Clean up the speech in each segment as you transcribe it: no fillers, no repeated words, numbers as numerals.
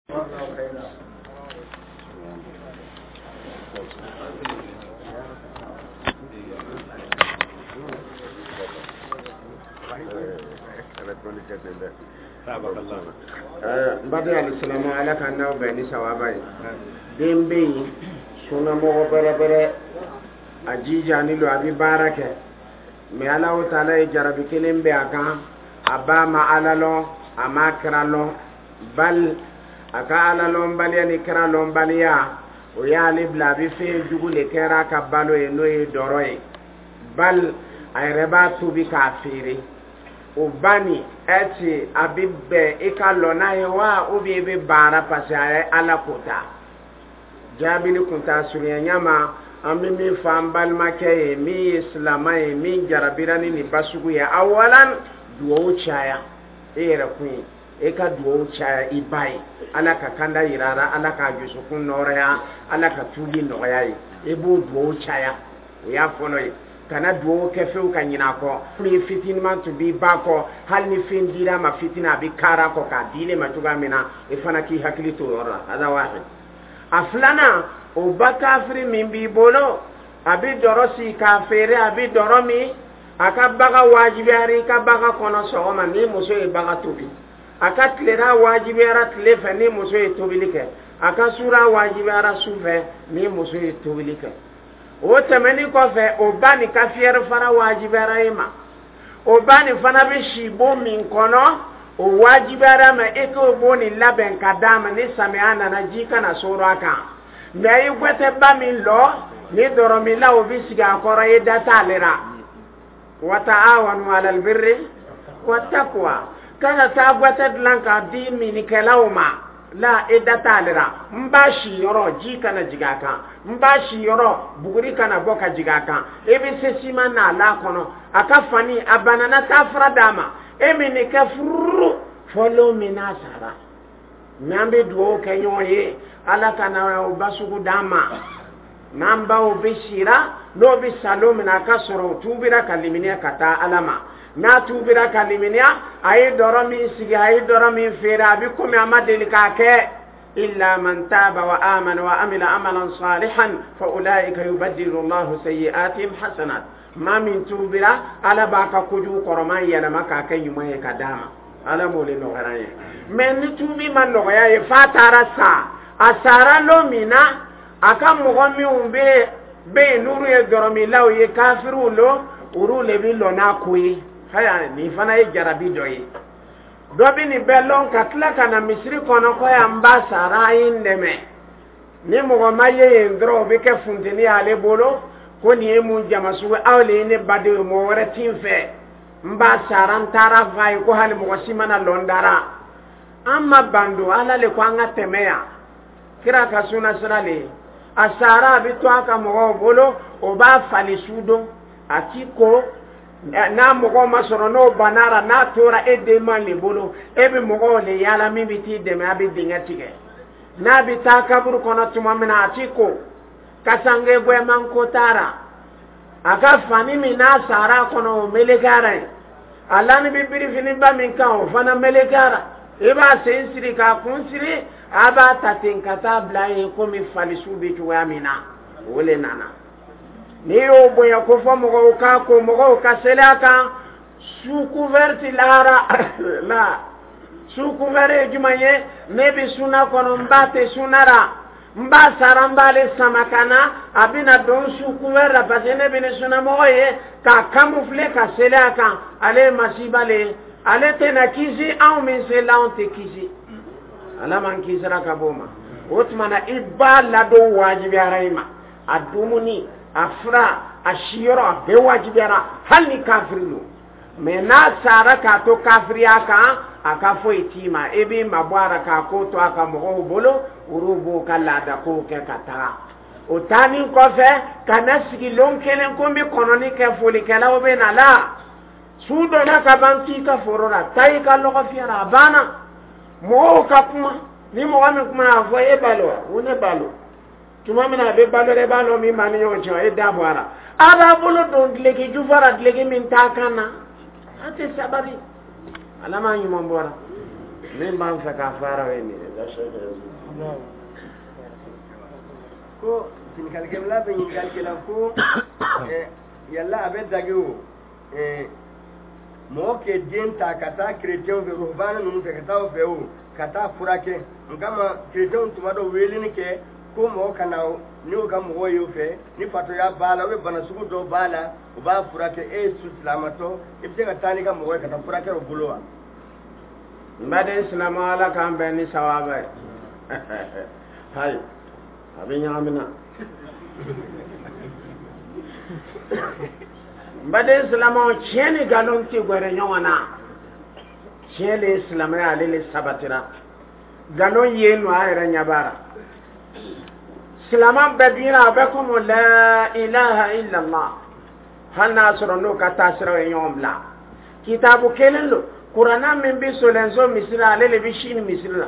N baden alisilamɛw, Ala k'an n'aw bɛn ni sawaba ye. Den bɛ yen, sunnamɔgɔ bɛrɛbɛrɛ, a jijani lo, a bɛ baara kɛ, mais Alahu taala ye jarabi kelen bɛ a kan. A ba ma Ala lɔn, a ma kira lɔn, bal a ka Ala lɔnbaliya ni kira lɔnbaliya, o y'ale bila a bɛ fɛn jugu le kɛra a ka balo ye, n'o ye dɔrɔ ye, bal a yɛrɛ b'a tobi k'a feere. O ba nin, est-ce a bɛ bɛn i ka lɔ n'a ye wa, ou bien i bɛ baara parce que a ye Ala ko ta? Jaabili kun t'a surunya ɲama. An bɛ min fɔ an balimakɛ ye min ye silama ye, min jarabira ni nin basugu ye, awalan, duwawu caya e yɛrɛ kun ye, e ka duwawu caya i ba ye, Ala ka kanda yira a la, Ala k'a dusukun nɔrɔya, Ala ka tuubi nɔgɔya ye. I b'o duwawu caya, o y'a fɔlɔ ye. Kana duwawu kɛ fewu ka ɲinɛ a kɔ. Min fitiniman tun b'i ba kɔ, hali ni fɛn dira a ma fitinin, a bɛ kaara kɔ k'a di ne ma cogoya min na, i fana k'i hakili to o yɔrɔ la. Hada wahid. A filanan, o ba kafiri min b'i bolo, a bɛ dɔrɔ si k'a feere, a bɛ dɔrɔ min, a ka baga wajibiyara i ka baga kɔnɔ sɔgɔma ni muso ye baga tobi, a ka tilera wajibiyara tile fɛ ni muso ye tobili kɛ, a ka sura wajibiyara su fɛ ni muso ye tobili kɛ. O tɛmɛnin kɔfɛ, o ba nin ka fiyɛri fara wajibiyara e ma. O ba nin fana bɛ si bon min kɔnɔ, o wajibiyara ma e k'o bon nin labɛn ka d'a ma, ni samiya nana, ji kana soro a kan. Mais i gwɛtɛba min lɔ ni dɔrɔmila, o bɛ sigi a kɔrɔ, i da t'ale la. Wa ta'awanu alal birri wa taqwa. Kana taa gwɛtɛ dilan k'a di minikɛlaw ma la, i da t'ale la. N b'a si yɔrɔ, ji kana jigin a kan, n b'a si yɔrɔ, buguri kana bɔ ka jigin a kan. I bɛ se siman n'a la kɔnɔ, a ka fani a banana, taa fura d'a ma, e min nin kɛ furu fɔ lon min n'a sara. Mais an bɛ dugawu kɛ ɲɔgɔn ye, Ala ka na o basugu d'an ma. N'an baw bɛ sira, n'o bɛ sa lon min na, a ka sɔrɔ o tuubira ka limaniya ka taa Ala ma. N'a tuubira ka limaniya, a ye dɔrɔ min sigi, a ye dɔrɔ min feere, a bɛ komi a ma deli k'a kɛ. Illa man taba wa amana wa amila amalan salihan fa ulaika yubaddilu Allahu sayyi'atihim hasanat. Maa min tuubira, Ala b'a ka kojugu kɔrɔman yɛlɛma k'a kɛ ɲuman ye ka d'a ma. Ala m'o de nɔgɔya an ye. Mais ni tuubi ma nɔgɔya ye f'a taara sa, a sara lon min na, a ka mɔgɔ minnu bɛ yen, n'olu ye dɔrɔmilaw ye, kafiriw lo, olu le bɛ lɔ n'a ko ye. Haya, nin fana ye jarabi dɔ ye. Dɔ bɛ nin bɛɛ lɔn ka tila ka na misiri kɔnɔ ko yan ba sara, a ye n dɛmɛ. Ni mɔgɔ ma ye yen dɔrɔn, o bɛ kɛ funteni y'ale bolo ko nin ye mun jama sugu, aw le ye ne badenw ye, mɔgɔ wɛrɛ ti n fɛ, n ba sara, n taara f'a ye ko hali mɔgɔ si mana lɔ n dara. An ma ban don Ala le ko an ka tɛmɛ yan, kira ka suna sira le ye. A sara, a bɛ to a ka mɔgɔw bolo, o b'a fali su don, a ti ko n'a mɔgɔw ma sɔrɔ, n'o banara, n'a tora e den ma le bolo, e bɛ mɔgɔw le yaala min bɛ t'i dɛmɛ, a bɛ dingɛ tigɛ. N'a bɛ taa kaburu kɔnɔ tuma min na, a ti ko kasange gwɛman ko taara a ka fani min n'a sara a kɔnɔ, o melekara yen, a lani bɛ birifiniba min kan, o fana melekara. I b'a sen siri k'a kun siri, a b'a ta ten ka taa bila yen komi falisu bɛ cogoya min na, o le nana. N'i y'o bonya ko fɔ mɔgɔw k'a ko mɔgɔw ka seli a kan sous couvert lahara la. Sous couvert ye jumɛn ye? Ne bɛ suna kɔnɔ, n ba tɛ suna la, n b'a sara, n b'ale sama ka na, a bɛna don sous couvert la parce que ne bɛ ni sunamɔgɔ ye k'a camoufler ka seli a kan. Ale ye masiba le ye, ale tɛna kisi, anw min selila, anw tɛ kisi. Ala m'an kisira ka bɔ o ma. O tuma na, i b'a ladon wajibiyara i ma, a dumuni, a fura, a siyɔrɔ, a bɛɛ wajibiyara, hali ni kafiri don. Mais n'a sara k'a to kafiriya kan, a ka foyi t'i ma, i b'i mabɔ a la k'a ko to a ka mɔgɔw bolo, olu b'o ka laada kow kɛ ka taga. O taanin kɔfɛ, ka na sigi lon kelen ko n bɛ kɔnɔni kɛ, folikɛlaw bɛ na la, su donna ka ban, t'i ka foro la, taa i ka lɔgɔ fiyɛ la, a banna. Mɔgɔw ka kuma, ni mɔgɔ min kuma, a fɔ e balo wa, ko ne balo. Tuma min na a bɛ balo, e b'a dɔn min b'a ni ɲɔgɔn cɛ, e da bɔ a la, a b'a bolo don duloki jufa la, duloki min t'a kan na, a tɛ sabali. Ala m'a ɲuman bɔra min b'an fɛ k'a fara, o ye nin ye. Ko ɲininkalikɛla bɛ ɲininkali kɛla ko yala a bɛ dage o mɔgɔ kɛ den ta ka taa kerecɛnw fɛ, ruhbana ninnu fɛ, ka taa o fɛ o ka taa furakɛ n kama. Kerecɛnw tuma dɔ weleli kɛ ko mɔgɔ ka na n'o ka mɔgɔw ye o fɛ, ni fatɔya b'a la ou bien bana sugu dɔ b'a la, u b'a furakɛ. E ye silamatɔ, i bɛ se ka taa n'i ka mɔgɔ ye ka taa furakɛ o bolo wa? N baden silamɛ, Ala k'an bɛn ni sawaba ye. Hayi, a bɛ ɲagami na. N baden silamɛw, tiɲɛ ni nkalon tɛ gɛrɛ ɲɔgɔn na. Tiɲɛ le ye silamɛya, ale le sabatira. Nkalon yen nɔ, a yɛrɛ ɲɛ b'a la. Silamɛ bɛɛ binna, a bɛ komi la ilaha illallah, hali n'a sɔrɔ n'o ka taasiraw ye ɲɔgɔn bila. Kitabu kelen don. Kuranna min bɛ Solenzo misiri la, ale le bɛ Sini misiri la.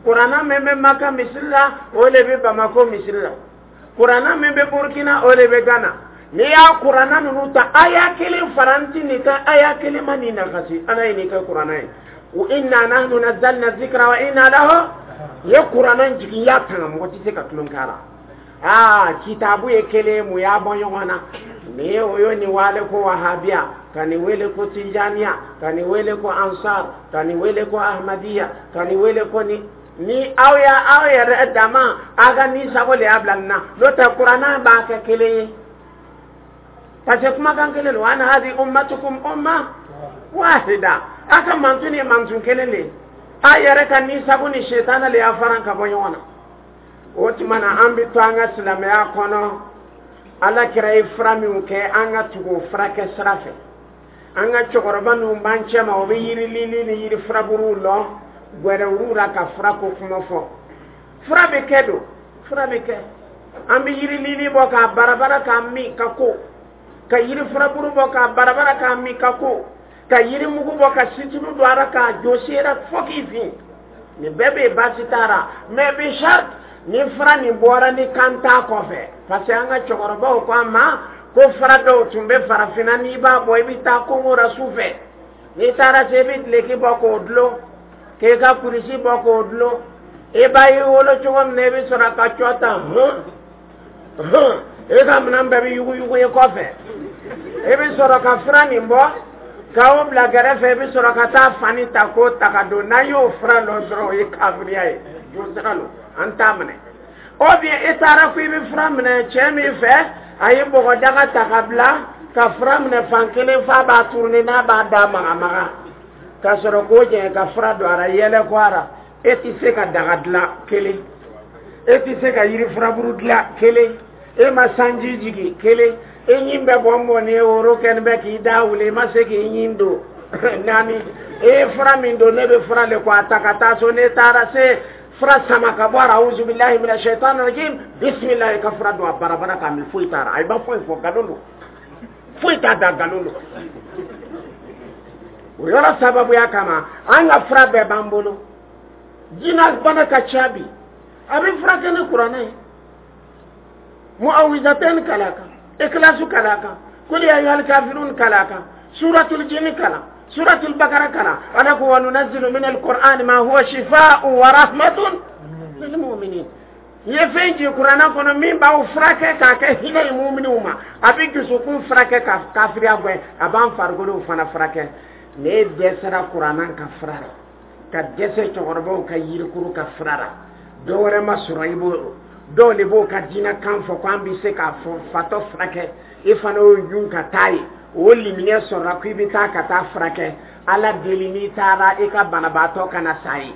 Kuranna min bɛ Maka misiri la, o le bɛ Bamako misiri la. Kuranna min bɛ Burkina, o le bɛ Ghana. N'i y'a kuranna ninnu ta, aya kelen faranti nin kan, aya kelen ma nin nagasi. Ala ye nin kɛ kuranna ye: wa inna nahnu nazzalna zikra wa inna lahu. Ye kuranna jigin, y'a tanga, mɔgɔ tɛ se ka tulon k'a la. Aa, kitabu ye kelen, mun y'a bɔ ɲɔgɔn na? Ni ye o ye nin wale ko wahabiya, ka nin wele ko tijaniya, ka nin wele ko ansar, ka nin wele ko ahmadiya, ka nin wele ko ni ni aw ya aw yɛrɛ dama, aw ka ni sago le y'a bila nin na. N'o tɛ, kuranna b'a kɛ kelen ye, parce que kumakan kelen don: ana hadi ummatukum umma wahida. A ka mantun ye mantun kelen de ye. A yɛrɛ ka ni sago ni setana le y'a faran ka bɔ ɲɔgɔn na. O tuma na, an bɛ to an ka silamɛya kɔnɔ. Ala kira ye fura minnu kɛ, an ka tugu o furakɛ sira fɛ. An ka cɛkɔrɔba minnu b'an cɛ ma, o bɛ yiri lili ni yiri furaburuw lɔ gwɛrɛwuruw la ka fura ko kuma fɔ. Fura bɛ kɛ don, fura bɛ kɛ. An bɛ yiri lili bɔ k'a barabara k'a min ka ko, ka yiri furaburu bɔ k'a barabara k'a min ka ko, ka yiri mugu bɔ ka situlu don a la k'a jɔsi la fo k'i fin. Nin bɛɛ bɛ yen, baasi t'a la, mais bi charte ni fura nin bɔra ni kan t'a kɔfɛ, parce que an ka cɛkɔrɔbaw ko an ma ko fura dɔw tun bɛ farafinna, n'i b'a bɔ, i bɛ taa kongo la su fɛ. N'i taara se, i bɛ duloki bɔ k'o dulon, k'e ka kurusi bɔ k'o dulon. I b'a y'i wolo cogo min na, i bɛ sɔrɔ ka cɔ ta hɔn hɔn, e ka minɛn bɛɛ bɛ yuguyugu i kɔfɛ. I bɛ sɔrɔ ka fura nin bɔ k'aw bila kɛrɛfɛ, i bɛ sɔrɔ ka taa fani ta k'o ta ka don. N'an y'o fura lɔ dɔrɔn, o ye kafiriya ye, josira don, an t'a minɛ. Ou bien i taara ko i bɛ fura minɛ cɛ min fɛ, a ye bɔgɔdaga ta ka bila ka fura minɛ fan kelen f'a b'a tourner, n'a b'a da magamaga ka sɔrɔ k'o jɛngɛ ka fura don a la, yɛlɛ ko a la. E tɛ se ka daga dilan kelen, e tɛ se ka yiri furaburu dilan kelen, e ma sanji jigin kelen, e ɲin bɛ bɔn bɔn ni woro kɛni bɛ k'i da wuli, i ma se k'i ɲin don naani. E ye fura min don, ne bɛ fura le ko a ta ka taa so. Ne taara se fura sama ka bɔ a la, awuzubilahi mina shaitan rajim, bisimilahi, ka fura don a barabara k'a min, foyi t'a la. A ma foyi fɔ, nkalon don, foyi t'a da, nkalon don. O yɔrɔ sababuya kama, an ka fura bɛɛ b'an bolo. Jinɛ bana ka ca bi, a bɛ furakɛ ni kuranɛ ye: muawizaten kala kan, ikhlasu kala kan, kul ya ayyuhal kafirun kala kan, suratul jinn kala, suratul bakara kala. Ala ko: wa nunazzilu min alquran ma huwa shifaa'un wa rahmatun lil mu'minin. N ye fɛn jigin kuranɛ kɔnɔ min b'aw furakɛ k'a kɛ hinɛ ye muminiw ma. A bɛ dusukun furakɛ ka kafiriya gɛn, a b'an farikolow fana furakɛ. Ne dɛsɛra kuranɛ ka fura la, ka dɛsɛ cɛkɔrɔbaw ka yirikuru ka fura la, dɔ wɛrɛ ma sɔrɔ i b'o. Dɔw de b'o ka diinɛ kan fɔ ko an bɛ se k'a fɔ fatɔ furakɛ, i fana y'o ɲun ka taa ye, o limaniya sɔrɔla ko i bɛ taa ka taa furakɛ. Ala deli, n'i taara, i ka banabaatɔ kana sa ye.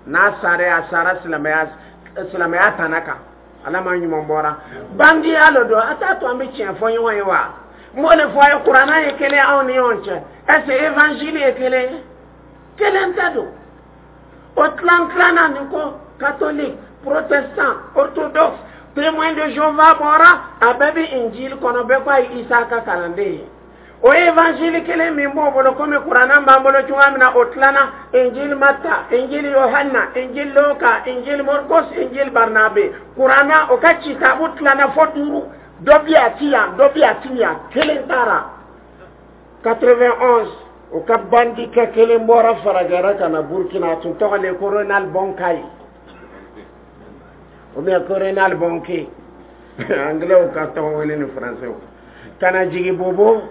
N'a sara, a sara silamɛya, silamɛya tana kan. Ala ma ɲuman bɔra bandiya lo don, a t'a to an bɛ tiɲɛ fɔ ɲɔgɔn ye wa? N b'o de fɔ a ye: kuranna ye kelen anw ni ɲɔgɔn cɛ. Est ce que évangile ye kelen ye? Kelen tɛ don. O tilan tilanna nin ko catholique, protestant, orthodoxe, Témoin de Jéhovah bɔra, a bɛɛ bɛ injili kɔnɔ, bɛɛ ko a ye Isa ka kalanden ye. O évangile kelen min b'o bolo, komi kuranna b'an bolo cogoya min na, o tilanna: injili Mata, injili Yohanna, injili Luka, injili Morkos, injili Barnabe. Kuranna o ka kitabu tilanna fo duuru. Dɔ bi a ti yan, dɔ bi a ti yan, kelen taara 91. O ka bandikɛ kelen bɔra farajɛra ka na Burkina, a tun tɔgɔ le ko Ronald Bonkayi ou bien ko Ronald Bonke, anglais ka tɔgɔ wele ni français, ka na jigin Bobo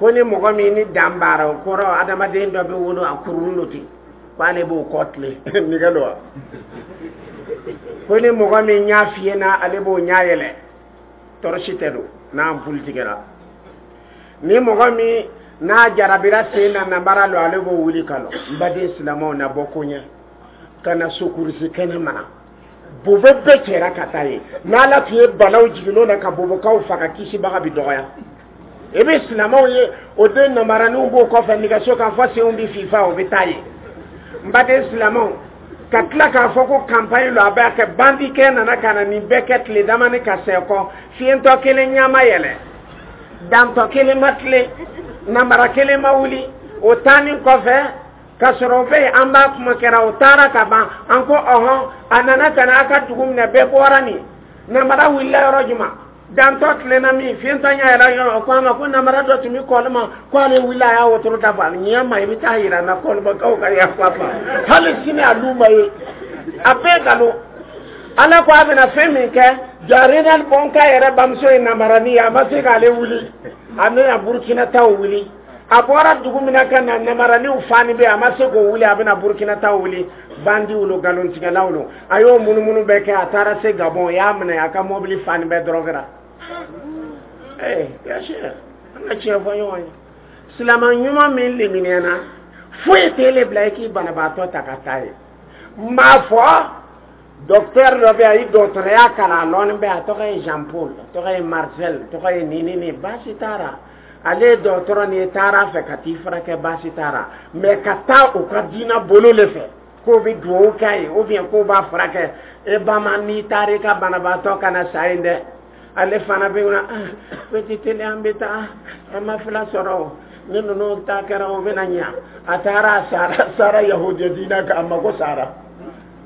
ko ni mɔgɔ min ni dan baara, o kɔrɔ adamaden dɔ bɛ wolo a kurun lo ten, k'ale b'o kɔ tile nɛgɛ lo wa, ko ni mɔgɔ min ɲa fiyɛ na, ale b'o ɲa yɛlɛ, tɔɔrɔsi tɛ don n'a ampuli tigɛra, ni mɔgɔ min n'a jarabira sen na namara lo, ale b'o wuli ka lɔ. N baden silamɛw, na bɔ ko ɲɛ ka na sokurusi kɛnɛ mana bobo bɛɛ cɛra ka taa ye. N'Ala tun ye balaw jigin'o na ka bobokaw faga, kisibaga bi dɔgɔya. I bɛ silamɛw ye, o den namaraniw b'o kɔfɛ nɛgɛso kan fɔ senw bɛ fifa, o bɛ taa ye. N baden silamɛw, ka tila k'a fɔ ko campagne lo, a b'a kɛ bandikɛ nana ka na nin bɛɛ kɛ tile damani ka sɛ kɔ, fiyentɔ kelen ɲama yɛlɛ, dantɔ kelen ma tile, namara kelen ma wuli. O taanin kɔfɛ ka sɔrɔ o bɛ yen, an b'a kuma kɛra, o taara ka ban. An ko ɔhɔn, a nana ka na a ka dugu minɛ, bɛɛ bɔra nin namara wulila yɔrɔ jumɛn, dantɔ tilenna min, fiyentɔ ɲɛ yɛlɛ yɔrɔ, o ko a ma ko namara dɔ tun bɛ kɔlima, ko ale wulila a y'a wotoro da bɔ a ɲɛ ma, i bɛ taa yira n na kɔlimakaw ka yafa ma, hali sini a lu ma ye, a bɛɛ nkalon. Ala ko a bɛna fɛn min kɛ, ja Renal Bɔnka yɛrɛ bamuso ye namarani ye, a ma se k'ale wuli, a bɛna Burukina taw wuli. A bɔra dugu min na ka na, namaraniw fani bɛ, a ma se k'o wuli, a bɛna Burukina taw wuli. Bandiw lo, nkalontigɛlaw lo. A y'o munumunu bɛɛ kɛ, a taara se Gabɔn, o y'a minɛ, a ka mɔbili fani bɛɛ dɔrɔgɛra. Ee yasi, an ka tiɲɛ fɔ ɲɔgɔn ye, silamɛ ɲuman min liminiyana, foyi t'e le bila i k'i banabaatɔ ta ka taa ye. N b'a fɔ docteur dɔ bɛ yen, a ye dɔgɔtɔrɔya kalan, a lɔnni bɛ, a tɔgɔ ye Jean Paul, a tɔgɔ ye Marcel, a tɔgɔ ye nin nin, baasi t'a la. Ale ye dɔgɔtɔrɔ nin ye, taara fɛ ka t'i furakɛ, baasi t'a la, mais ka taa u ka diinɛ bolo le fɛ k'o bɛ duwawu k'a ye ou bien k'o b'a furakɛ, e ba ma, n'i taara i ka banabaatɔ kana sa yen dɛ. Ale fana bɛ na petit teli, an bɛ taa, an ma fila sɔrɔ o ni ninnu ta kɛra, o bɛna ɲa. A taara, a sara, sara yahudiya diinɛ kan, a mako sara.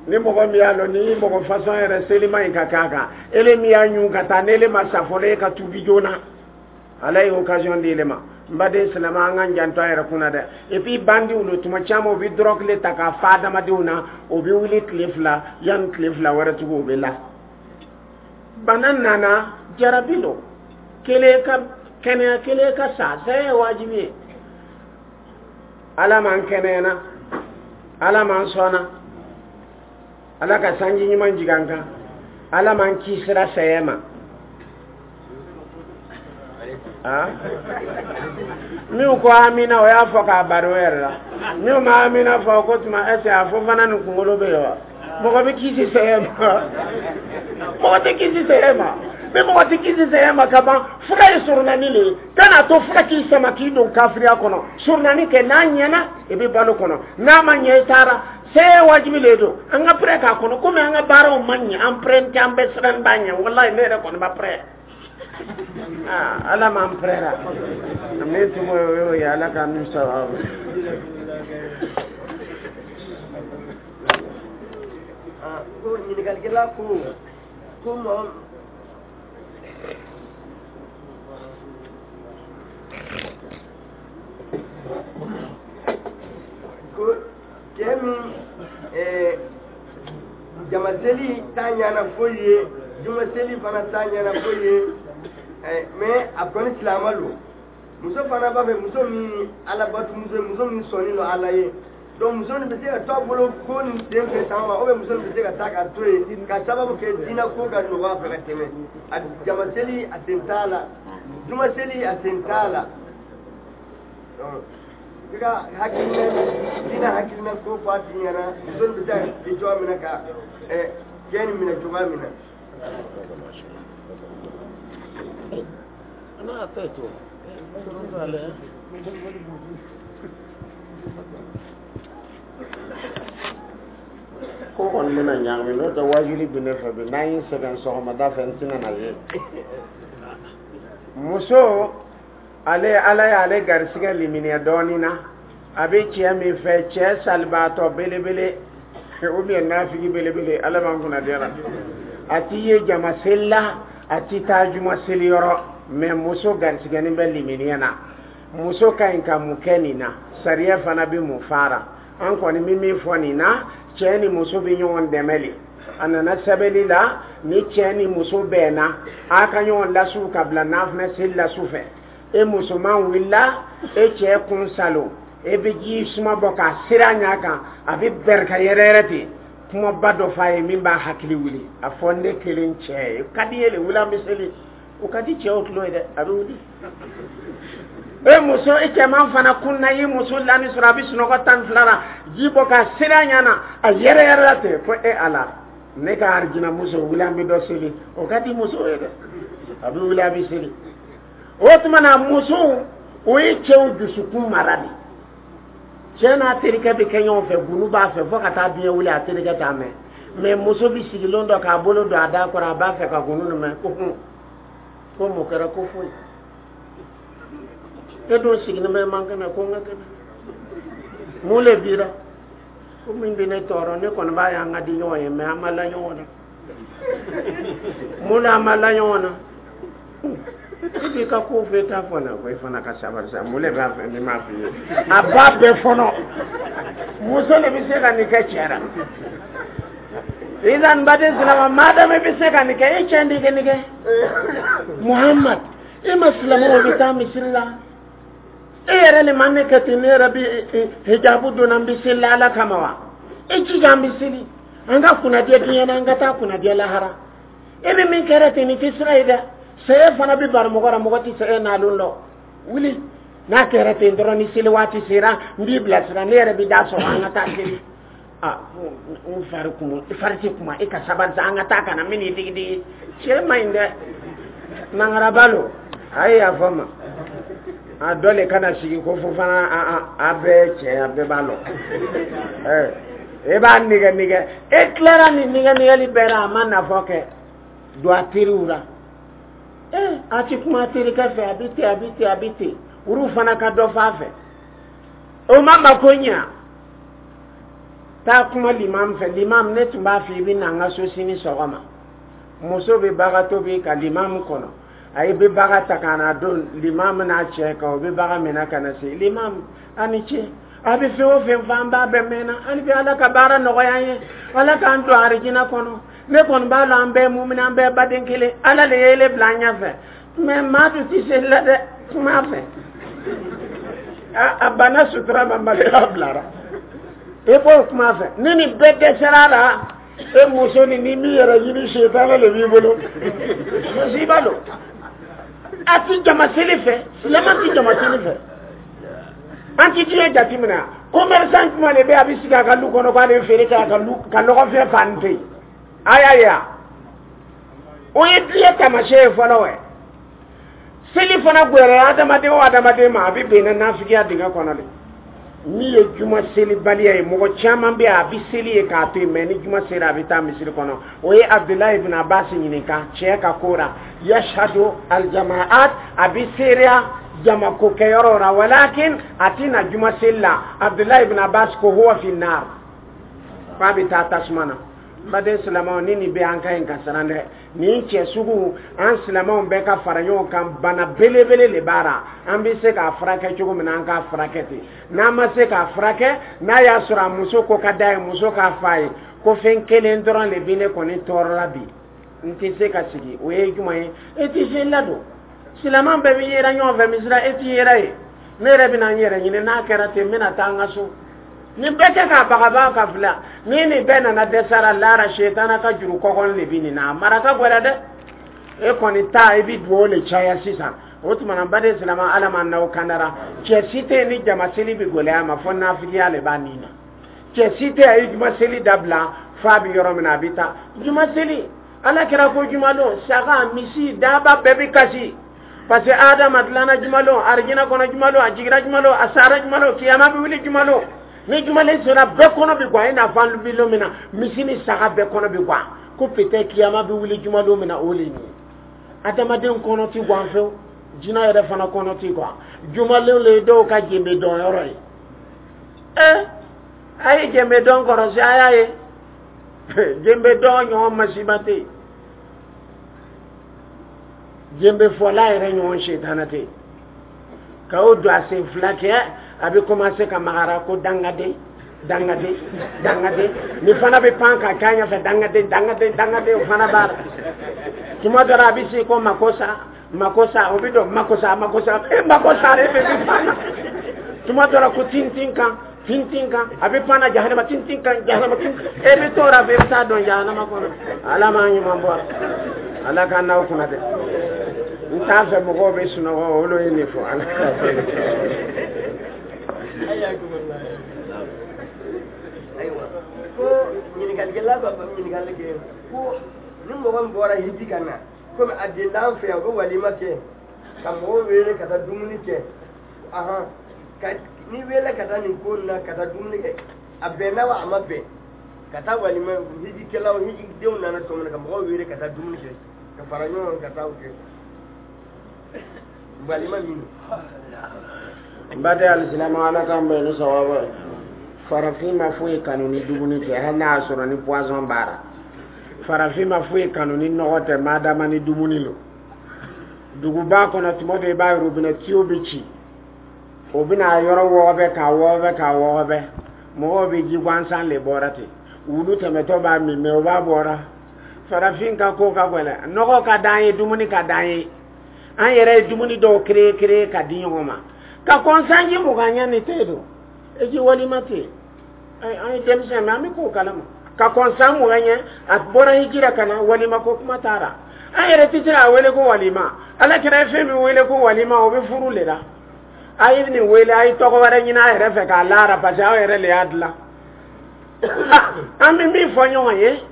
Ni mɔgɔ min y'a lɔn ni mɔgɔ fasɔn yɛrɛ selima in ka k'a kan, ele min y'a ɲun ka taa, n'ele ma sa fɔlɔ, e ka tuubi joona. Ala ye occasion di ele ma. N baden silamɛ, an k'an janto an yɛrɛ kunna dɛ. Et puis bandiw lo, tuma caman u bɛ drogue le ta k'a fa adamadenw na, o bɛ wuli tile 2, yanni tile 2 wɛrɛ tugun o bɛ la. Bana nana, jarabi lo, kelen ka kɛnɛya, kelen ka sa, saya ye wajibi ye. Ala m'an kɛnɛyana, Ala m'an sɔnna, Ala ka sanji ɲuman jigin an kan, Ala m'an kisira saya ma. Minnu ko amina, o y'a fɔ k'a baro yɛrɛ la. Minnu ma amina fɔ ko tuma ɛsɛ a fɔ fana nin kunkolo bɛ yen wa? Mɔgɔ bɛ kisi saya ma? Mɔgɔ tɛ kisi saya ma. Ni mɔgɔ tɛ kisi saya ma ka ban, fura ye surunani le ye. Kan'a to fura k'i sama k'i don kafiriya kɔnɔ. Surunani kɛ, n'a ɲɛna i bɛ balo kɔnɔ, n'a ma ɲɛ i taara. Saya wajibi le don, an ka pɛrɛ k'a kɔnɔ komi an ka baaraw ma ɲɛ, an pɛrɛ tɛ, an bɛ siran b'a ɲɛ. Walayi, ne yɛrɛ kɔni ma pɛrɛ. Ala m'an pɛrɛra min tun o y'o ye, Ala k'an n'u sababu. Ko ɲininkalikɛla ko mɔgɔ ko cɛ min jamaseli t'a ɲana foyi ye, jumaseli fana t'a ɲana foyi ye, mais a kɔni silamɛ don. Muso fana b'a fɛ, muso min alabatumuso ye, muso min sɔnni don Ala ye. Donc muso nin bɛ se ka to a bolo ko nin sen fɛ tan wa, ou bien muso nin bɛ se ka taa ka to yen ka sababu kɛ diinɛ ko ka nɔgɔ a fɛ ka tɛmɛ a jamaseli, a sen t'a la, jumaseli, a sen t'a la. I ka hakilina, diinɛ hakilina ko fɔ a tigi ɲɛna, muso nin bɛ se ka kɛ cogoya min na ka cɛ nin minɛ cogoya min na. أنا أعطيته. Ko kɔni bɛna ɲagami, n'o tɛ wajuli bɛ ne fɛ bi, n'an ye sɛgɛn sɔgɔmada fɛ, n tɛna na ye. Muso, ale Ala y'ale garisigɛ liminiya dɔɔnin na, a bɛ cɛ min fɛ, cɛ salibaatɔ belebele ou bien nafigi belebele, Ala b'an kunna diya la, a t'i ye jama seli la, a t'i taa juma seli yɔrɔ, mais muso garisigɛnin bɛ liminiya na. Muso ka ɲi ka mun kɛ nin na? Sariya fana bɛ mun fara? An kɔni bɛ min fɔ nin na, cɛ ni muso bɛ ɲɔgɔn dɛmɛ le. A nana sɛbɛnni la, ni cɛ ni muso bɛnna, a ka ɲɔgɔn lasiw ka bila nafinɛ seli la su fɛ. E musoman wulila, e cɛ kun salo, e bɛ ji suma bɔ k'a seri a ɲɛ kan, a bɛ bɛrɛ ka yɛrɛ yɛrɛ ten. Kumaba dɔ f'a ye min b'a hakili wuli, a fɔ ne kelen cɛ ye ka di ye le, wuli an bɛ seli. O ka di cɛw tulo ye dɛ, a bɛ wuli. E muso, e cɛman fana kunna, i muso lani sɔrɔ a bɛ sunɔgɔ 12 la, ji bɔ k'a seri a ɲɛ na, a yɛrɛ yɛrɛ la ten ko e Ala, ne ka arijina muso, wuli an bɛ dɔ seli. O ka di muso ye dɛ, a bɛ wuli, a bɛ seli. O tuma na, musow, o ye cɛw dusukun mara de. Cɛ n'a terikɛ bɛ kɛ ɲɔgɔn fɛ, gunu b'a fɛ fo ka taa diɲɛ wuli, a terikɛ t'a mɛn. Mɛ muso bɛ sigilen dɔ k'a bolo don a da kɔrɔ, a b'a fɛ ka gunu nin mɛn, ko hun, ko mun kɛra? Ko foyi. E dun sigilen bɛ man kɛnɛ, ko n ka kɛnɛ, mun le bira? Ko min bɛ ne tɔɔrɔ, ne kɔni b'a ye an ka di ɲɔgɔn ye, mɛ an ma la ɲɔgɔn na. Mun na an ma la ɲɔgɔn na? I b'i ka ko fɛ t'a fɔ na ko i fana ka sabali sa. Mun de b'a fɛ ni m'a f'i ye? A b'a bɛɛ fɔnɔ. Muso de bɛ se ka nin kɛ cɛ la. Idan baden silama, madama i bɛ se ka nin kɛ, e cɛ de kɛ nin kɛ. Muhammad, e ma silamɛw bɛ taa misiri la, e yɛrɛ le ma ne kɛ ten. Ne yɛrɛ bɛ hijabu donna, n bɛ seli la Ala kama wa? E jija, an bɛ seli, an ka kunnadiya diɲɛ na, an ka taa kunnadiya lahara. E bɛ min kɛra ten, nin tɛ sira ye dɛ. Sɛyɛ fana bɛ bari mɔgɔ la, mɔgɔ tɛ sɛyɛ nalon lɔ. Wuli, n'a kɛra ten dɔrɔn, ni seli waati sera, n b'i bilasira, ne yɛrɛ bɛ da sɔrɔ, an ka taa seli. A n fari kun, i fari tɛ kuma, e ka sabali sa, an ka taa ka na min digi digi. Cɛ man ɲi dɛ, nangaraba lo. A ye yafa ma, a dɔ le kana sigi ko fo fana a bɛɛ cɛ, a bɛɛ b'a lɔ. E b'a nɛgɛ nɛgɛ, e tilara nin nɛgɛ nɛgɛli bɛɛ la, a ma nafa kɛ. Don a teriw la, a ti kuma a terikɛ fɛ, a bɛ ten, a bɛ ten, a bɛ ten. Olu fana ka dɔ f'a fɛ, o ma mako ɲa. Taa kuma limam fɛ. Limam, ne tun b'a fɔ i bɛ na n ka so sini sɔgɔma. Muso bɛ baga tobi ka limam kɔnɔ, a ye bɛ baga ta ka na don limam n'a cɛ kan, o bɛ baga minɛ ka na se limam. A ni ce, a bɛ fɛn o fɛn fɔ, an b'a bɛɛ mɛnna. Hali bi Ala ka baara nɔgɔya an ye, Ala k'an don arijina kɔnɔ. Ne kɔni b'a lɔn an bɛɛ mumini, an bɛɛ baden kelen. Ala de ye ele bila an ɲɛfɛ, mɛ maa dun tɛ seli la dɛ. Kuma fɛ, a banna sutura ma, maloya bilara. E b'o kuma fɛ, ni nin bɛɛ dɛsɛra la, e muso ni ni min yɛrɛ ɲini, setana de b'i bolo, musiba don. A ti jama seli fɛ, silamɛ ti jama seli fɛ. An ti diɲɛ jateminɛ. Commerçant jumɛn de bɛ a bɛ sigi a ka lu kɔnɔ k'ale bɛ feere kɛ, a ka lu ka nɔgɔfiyɛ fan tɛ yen? A y'a ye wa, o ye diɲɛ taamasiyɛn ye fɔlɔ. Wɛ, seli fana gbɛrɛ adamaden o adamaden ma, a bɛ bɛn na nafigiya dingɛ kɔnɔ de. Min ye juma selibaliya ye, mɔgɔ caman bɛ yen, a bɛ seli ye k'a to yen, mɛ ni juma sera, a bɛ taa misiri kɔnɔ. O ye Abudulayi ibn Abbas ɲininka cɛ ka ko la, yashhadu aljamaat, a bɛ seereya jamako kɛyɔrɔ la, walakin a tɛ na juma seli la. Abudulayi ibn Abbas ko huwa fi nar, k'a bɛ taa tasuma na. N baden silamɛw, ni nin bɛ an ka ɲi ka siran dɛ. Nin cɛ sugu, an silamɛw bɛɛ ka fara ɲɔgɔn kan. Bana belebele de b'a la, an bɛ se k'a furakɛ cogo min na, an k'a furakɛ ten. N'an ma se k'a furakɛ, n'a y'a sɔrɔ a muso ko ka d'a ye, muso k'a f'a ye ko fɛn kelen dɔrɔn de bɛ ne kɔni tɔɔrɔ la bi, n tɛ se ka sigi. O ye jumɛn ye? E tɛ se ladon, silamɛ bɛɛ bɛ yera ɲɔgɔn fɛ misira, e tɛ yera ye. Ne yɛrɛ bɛna n yɛrɛ ɲini, n'a kɛra ten, n bɛna taa n ka so. Nin bɛɛ kɛ k'a bagabaga ka fila. Ni nin bɛɛ nana dɛsɛra lara, setana ka juru kɔkɔn de bɛ nin na, a mara ka gɛlɛn dɛ. E kɔni ta, i bɛ dugawu le caya sisan. O tuma na, baden silamɛ, Ala ma n'aw kandara. Cɛ si tɛ yen ni jama seli bɛ gɛlɛya ma fɔ nafigiya le b'a nin na. Cɛ si tɛ a ye juma seli dabila f'a bɛ yɔrɔ min na, a bɛ taa juma seli. Ala kɛra ko jumalon, saga, misi, daba bɛɛ bɛ kasi, parce que Adama dilanna jumalon, arijina kɔnɔ jumalon, a jiginna jumalon, a sara jumalon, kiyama bɛ wuli jumalon. Ni jumalen sera, bɛɛ kɔnɔ bɛ gan, i n'a fɔ an bɛ don min na, misi ni saga bɛɛ kɔnɔ bɛ gan, ko peut-être kiyama bɛ wuli jumalon min na, o le ye nin ye. Adamaden kɔnɔ ti gan fewu, jinɛ yɛrɛ fana kɔnɔ ti gan. Jumalen le ye dɔw ka jenbe dɔn yɔrɔ ye. A ye jenbe dɔn kɔrɔsi, a y'a ye jenbe dɔn ɲɔgɔn masiba tɛ yen, jenbe fɔla yɛrɛ ɲɔgɔn setana tɛ yen. Ka o don a sen fila kɛ, a bɛ commencer ka magara ko dangaden, dangaden, dangaden. Ni fana bɛ pan ka k'a ɲɛfɛ, dangaden, dangaden, dangaden. O fana b'a la. Tuma dɔ la, a bɛ se ko makosa, makosa. O bɛ don makosa, makosa, e makosa de bɛ pan na. Tuma dɔ la, ko tintin kan, tintin kan, a bɛ pan na jahanama, tintin kan, jahanama, tintin. E bɛ t'o la fɛ, i bɛ taa don jahanama kɔnɔ. Ala m'an ɲuman bɔ, Ala k'an n'aw kunna dɛ. N t'a fɛ mɔgɔw bɛ sunɔgɔ, olu ye nin fɔ. Ala k'a fɛ. Ayiwa, ko ɲininkalikɛla b'a fɔ, ɲininkali kɛ ko ni mɔgɔ min bɔra hiji ka na, komi a delila an fɛ yan, u bɛ walima kɛ ka mɔgɔw wele ka taa dumuni kɛ. Ahan, ka ni wele ka taa nin ko in na, ka taa dumuni kɛ, a bɛnna wa a ma bɛn? Ka taa walima, hijikɛlaw, hijidenw nana tuma min na, ka mɔgɔw wele ka taa dumuni kɛ, ka fara ɲɔgɔn kan, ka taa o kɛ walima min. N baden alisilamɛ, Ala k'an bɛn ni sawaba ye. Farafin ma foyi kanu ni dumuni tɛ, hali n'a y'a sɔrɔ ni poison b'a la. Farafin ma foyi kanu ni nɔgɔ tɛ, madama ni dumuni lo. Duguba kɔnɔ, tuma dɔ i b'a ye robinet tuyau bɛ ci, o bɛna yɔrɔ wɔgɔbɛ, k'a wɔgɔbɛ, k'a wɔgɔbɛ. Mɔgɔw bɛ ji gansan le bɔra ten, wulu tɛmɛtɔ b'a min, mɛ o b'a bɔra. Farafin ka ko ka gɛlɛn. Nɔgɔ ka d'an ye, dumuni ka d'an ye. An yɛrɛ ye dumuni dɔw créer créer ka di ɲɔgɔn ma. Ka kɔn sanji 20 ɲɛ ni tɛ don eji walima tɛ. An ye denmisɛn, mɛ an bɛ k'o kalama. Ka kɔn san 20 ɲɛ, a bɔra hijira ka na, walima ko kuma taara. An yɛrɛ tɛ se k'a wele ko walima. Ala kɛra ye fɛn min wele ko walima, o bɛ furu le la. A ye nin wele, a ye tɔgɔ wɛrɛ ɲini a yɛrɛ fɛ k'a laara, parce que aw yɛrɛ le y'a dilan. An bɛ min fɔ ɲɔgɔn ye,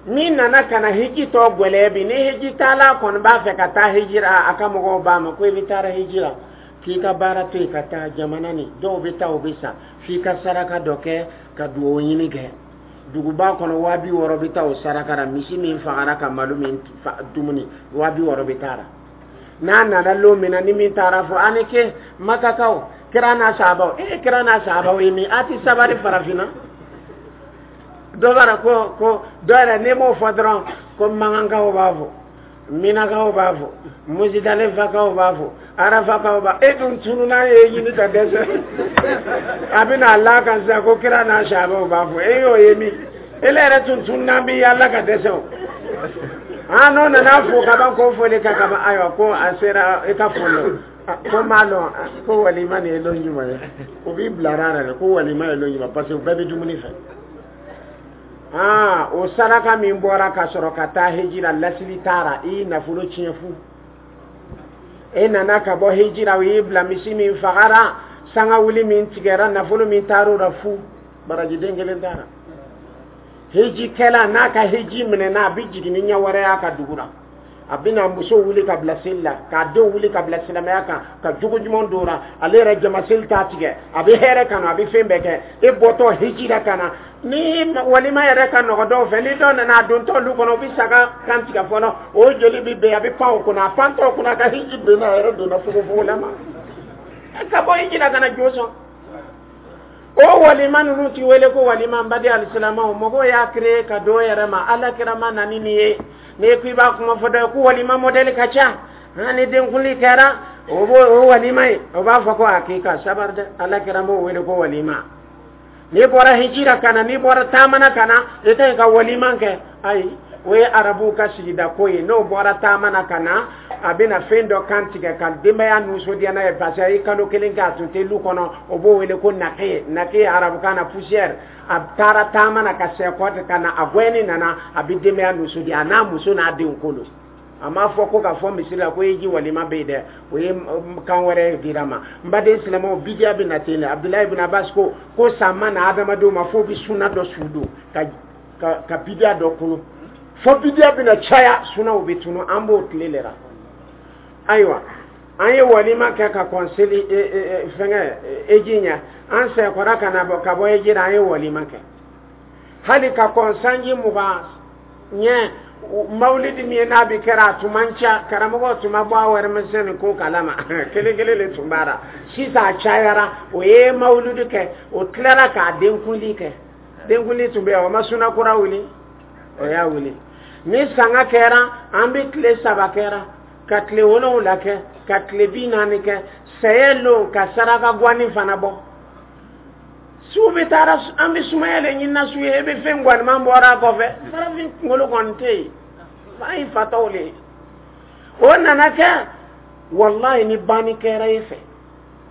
min nana ka na hiji tɔ gwɛlɛya bi, ni hiji taala kɔni b'a fɛ ka taa hijira, a ka mɔgɔw b'a ma ko i bɛ taara hijira, k'i ka baara to yen ka taa jamana ni dɔw bɛ taa, o bɛ sa, f'i ka saraka dɔ kɛ ka dugawu ɲini kɛ. Duguba kɔnɔ, 60 000 bɛ taa o saraka la. Misi min fagara ka malo min dumuni, 60 000 bɛ taa la. N'a nana lon min na, ni min taara fɔ ani ke Makakaw, kira n'a sahabaw, e kira n'a sahabaw ye min, a ti sabari. Farafinna dɔ b'a la ko dɔ yɛrɛ, n'i m'o fɔ dɔrɔn, ko Mankankaw b'a fɔ, Minakaw b'a fɔ, Musidalifakaw b'a fɔ, Arafakaw b'a. E dun tununa ye ɲini ka dɛsɛ, a bɛna a la kan sisan ko kira n'a sahabaw b'a fɔ. E y'o ye min, ele yɛrɛ tun tununa bi yaala ka dɛsɛ. O ah, n'o nana fo ka ban, ko foli ka kaban. Ayiwa, ko a sera i ka foli, ko m'a lɔn ko walima nin ye lon jumɛn ye. O b'i bilara yɛrɛ ko walima ye lon jumɛn, parce que u bɛɛ bɛ dumuni fɛ. Aa, o saraka min bɔra ka sɔrɔ ka taa hijira, lasili taara, i y'i nafolo tiɲɛ fu. E nana ka bɔ hijira, o y'i bila misi min fagara, sanga wuli min tigɛra, nafolo min taar'o la fu, barajiden kelen taara. Hijikɛla n'a ka hiji minɛna, a bɛ jigin ni ɲɛ wɛrɛ y'a ka dugu la. A bɛna muso wuli ka bila seli la, k'a denw wuli ka bila silamɛya kan, ka jogo ɲuman don la. Ale yɛrɛ jama seli t'a tigɛ, a bɛ hɛrɛ kanu, a bɛ fɛn bɛɛ kɛ. E bɔtɔ hiji la ka na ni walima yɛrɛ ka nɔgɔ dɔw fɛ, ni dɔw nana a dontɔ olu kɔnɔ, u bɛ saga kan tigɛ fɔlɔ, o joli bɛ bɛn, a bɛ pan o kunna. A pantɔ o kunna, a ka hiji benna, a yɛrɛ donna fogofogo la ma ka bɔ hiji la ka na jo sɔn. O walima ninnu ti wele ko walima. N baden alisilamɛw, mɔgɔw y'a créé ka don yɛrɛ ma. Ala kira ma na ni nin ye. N'i ko i b'a kuma fɔ dɔ ye ko walima modèle ka ca, han, ni denkundi kɛra, o b'o o walima ye, o b'a fɔ ko a k'i ka sabari dɛ. Ala kira m'o wele ko walima. N'i bɔra hijira ka na, n'i bɔra taamana ka na, i ka ɲi ka walima kɛ. Ayi, o ye arabuw ka sigida ko ye. N'o bɔra taama na ka na, a bɛna fɛn dɔ kan tigɛ ka denbaya nisɔndiya n'a ye, parce que a ye kalo kelen kɛ a tun tɛ lu kɔnɔ. O b'o wele ko nake. Nake arabukan na, poussière. A taara taama na ka sɛkɔ ka na, a gɛnni nana, a bɛ denbaya nisɔndiya, a n'a muso n'a denw kolo. A m'a fɔ ko ka fɔ misiri la ko hiji walima bɛ yen dɛ, o ye kan wɛrɛ dira ma. N baden silamɛw, bidiya bɛ na ten dɛ. Abudulayi ibn Abbas ko san ma na adamadenw ma f'o bɛ suna dɔ su don ka bidiya dɔ kunu, fo bidiya bɛna caya, sunaw bɛ tunu. An b'o tile le la. Ayiwa, an ye walima kɛ ka kɔn seli fɛngɛ eji ɲɛ. An sɛkɔra ka na bɔ ka bɔ eji la, an ye walima kɛ hali ka kɔn sanji 20 ɲɛ. Mawulidi min ye n'a bi kɛra, a tun man ca, karamɔgɔ tun ma bɔ a warimisɛn ko kalama, kelen kelen de tun b'a la. Sisan a cayara. O ye mawulidi kɛ, o tilara k'a denkundi kɛ. Denkundi tun bɛ yen, o ma suna kura wuli, o y'a wuli. Ni sanga kɛra, an bɛ tile 3 kɛra ka tile 7 kɛ, ka tile 40 kɛ. Sɛyɛ lo ka saraka guwani fana bɔ. Su bɛ taara, an bɛ sumaya le ɲinina su ye, e bɛ fɛn guwaniman bɔra a kɔfɛ. Farafin kunkolo kɔni tɛ yen, an ye fatɔw le ye. O nana kɛ, walayi, ni banni kɛra e fɛ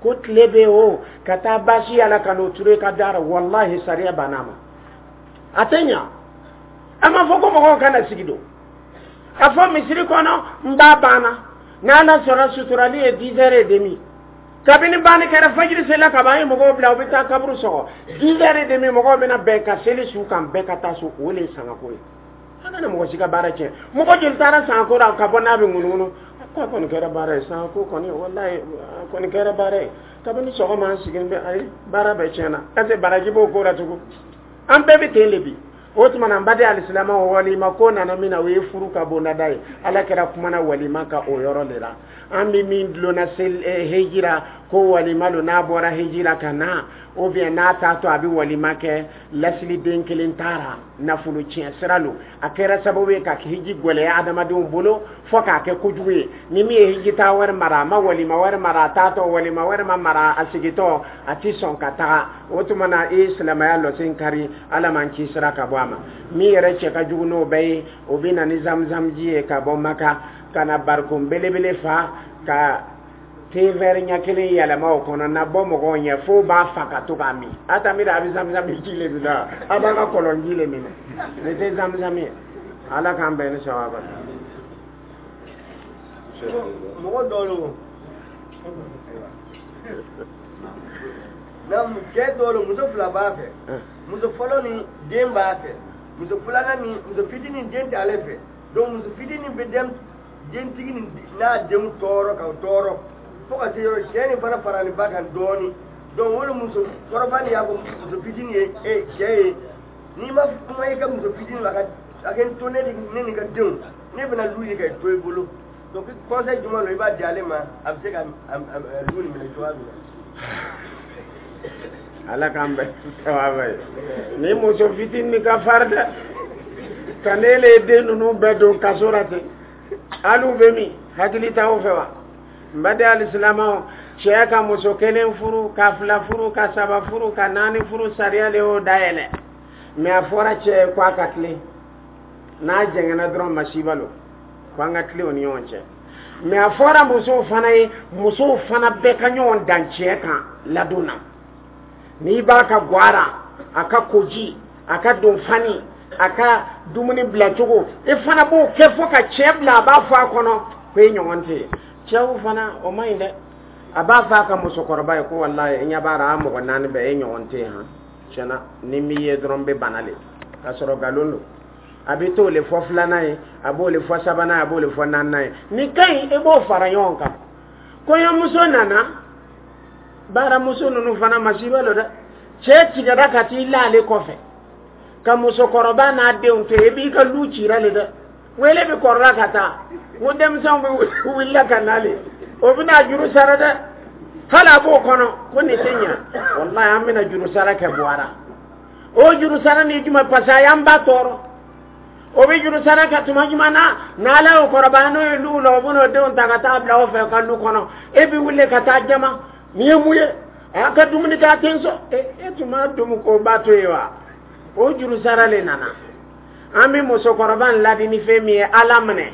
ko tile bɛ o ka taa baasi yala ka n'o turu i ka da la, walahi, sariya banna a ma, a tɛ ɲa. A ma fɔ ko mɔgɔw kana sigi don a fɔ misiri kɔnɔ. N b'a banna n'Ala sɔnna, suturali ye 10h30. Kabini banni kɛra, fajiri sela ka ban, an ye mɔgɔw bila, u bɛ taa kaburu sɔgɔ. 10h30, mɔgɔw bɛna bɛn ka seli su kan, bɛɛ ka taa so. O le ye sangako ye. An kana mɔgɔ si ka baara tiɲɛ. Mɔgɔ joli taara sangako la ka bɔ n'a bɛ ŋunuŋunu ko a kɔni kɛra baara ye? Sangako kɔni, walayi, a kɔni kɛra baara ye. Kabini sɔgɔma an sigilen bɛ, ayi, baara bɛɛ tiɲɛna. Est ce que baraji b'o ko la tugun? An bɛɛ bɛ ten de bi. O tuma na, n baden alisilamɛw, walima ko nana min na, o ye furu ka bondada ye. Ala kɛra kumana walima ka o yɔrɔ de la. An bɛ min dulonna hejira ko walima lo, n'a bɔra hejira ka na ou bien n'a taatɔ, a bɛ walima kɛ. Lasiliden kelen taara nafolo tiɲɛ sira lo, a kɛra sababu ye ka hiji gwɛlɛya adamadenw bolo fo k'a kɛ kojugu ye. Ni min ye hiji taa wɛrɛ mara, a ma walima wɛrɛ mara a taatɔ, walima wɛrɛ ma mara a sigitɔ, a ti sɔn ka taga. O tuma na, i ye silamɛya lɔsen kari, Ala man ci sira ka bɔ a ma. Min yɛrɛ cɛ ka jugu n'o bɛɛ ye, o bɛ na ni zamzamji ye ka bɔ Maka ka na barikon belebele fa ka thé vert ɲɛ kelen yɛlɛma o kɔnɔ na bɔ mɔgɔw ɲɛ fo b'a fa ka to k'a min. A ta miiri a bɛ zamzam ji le minɛ, a b'a ka kɔlɔn ji le minɛ. Nin tɛ zamzam ye. Ala k'an bɛn ni sawaba. Mɔgɔ dɔw lo cɛ dɔw lo, muso fila b'a fɛ. Muso fɔlɔ ni den b'a fɛ, muso filanan ni muso fitinin, den t'ale fɛ. Donc muso fitinin bɛ den dentigi ni n'a denw tɔɔrɔ ka tɔɔrɔ fo ka se yɔrɔ cɛ nin fana farali ba kan dɔɔni. Donc o de muso kɔrɔba nin y'a fɔ muso fitinin ye: e cɛ ye, n'i ma kuma i ka muso fitinin ma, a ka to ne ni ka denw, ne bɛna lu ye ka to i bolo. Donc conseil jumɛn don i b'a di ale ma, a bɛ se ka lu nin minɛ cogoya min na? Ala k'an bɛn sawaba ye. Ni muso fitinin ka fari dɛ, ka ne le den ninnu bɛɛ don kaso la ten, hali u bɛ min hakili t'aw fɛ wa? N baden alisilamɛw, cɛ ka muso kelen furu, ka fila furu, ka saba furu, ka naani furu, sariya de y'o dayɛlɛ. Mɛ a fɔra cɛ ye ko a ka tilen, n'a jɛngɛnna dɔrɔn, masiba lo, ko an ka tilen o ni ɲɔgɔn cɛ. Mɛ a fɔra musow fana ye, musow fana bɛɛ ka ɲɔgɔn dan cɛ kan ladon na. N'i b'a ka gwara, a ka koji, a ka donfani, a ka dumuni bilacogo, e fana b'o kɛ fo ka cɛ bila a b'a fɔ a kɔnɔ ko e ɲɔgɔn tɛ yen. Cɛw fana, o man ɲi dɛ. A b'a fɔ a ka musokɔrɔba ye ko walayi, n ɲɛ b'a la, a mɔgɔ naani bɛɛ, e ɲɔgɔn tɛ yen. Han, tiɲɛna, ni m'i ye dɔrɔn n bɛ bana le, k'a sɔrɔ nkalon don. A bɛ t'o le fɔ filanan ye, a b'o le fɔ sabanan ye, a b'o le fɔ naaninan ye. Nin ka ɲi, e b'o fara ɲɔgɔn kan. Kɔɲɔmuso nana, baaramuso ninnu fana, masiba lo dɛ. Cɛ tigɛra ka t'i la ale kɔfɛ ka musokɔrɔba n'a denw to yen, e b'i ka lu cira le dɛ. Wele bɛ kɔrɔla ka taa n ko denmisɛnw bɛ wulila ka na le, o bɛna juru sara dɛ. Hali a b'o kɔnɔ ko nin tɛ ɲɛ, walayi, an bɛna juru sara kɛ buwara. O juru sara ni jumɛn? Parce que a y'an ba tɔɔrɔ. O bɛ juru sara kɛ tuma jumɛn na? N'Ala y'o kɔrɔbaya, n'o ye luw la, o bɛn'o denw ta ka taa bila o fɛ ka lu kɔnɔ. E bɛ wuli ka taa jama nin ye mun ye? A ka dumuni kɛ, a tɛ n sɔn. E tun b'a dumu k'o ba to yen wa? O juru sara le nana. An bɛ musokɔrɔba in ladi ni fɛn min ye, Ala minɛ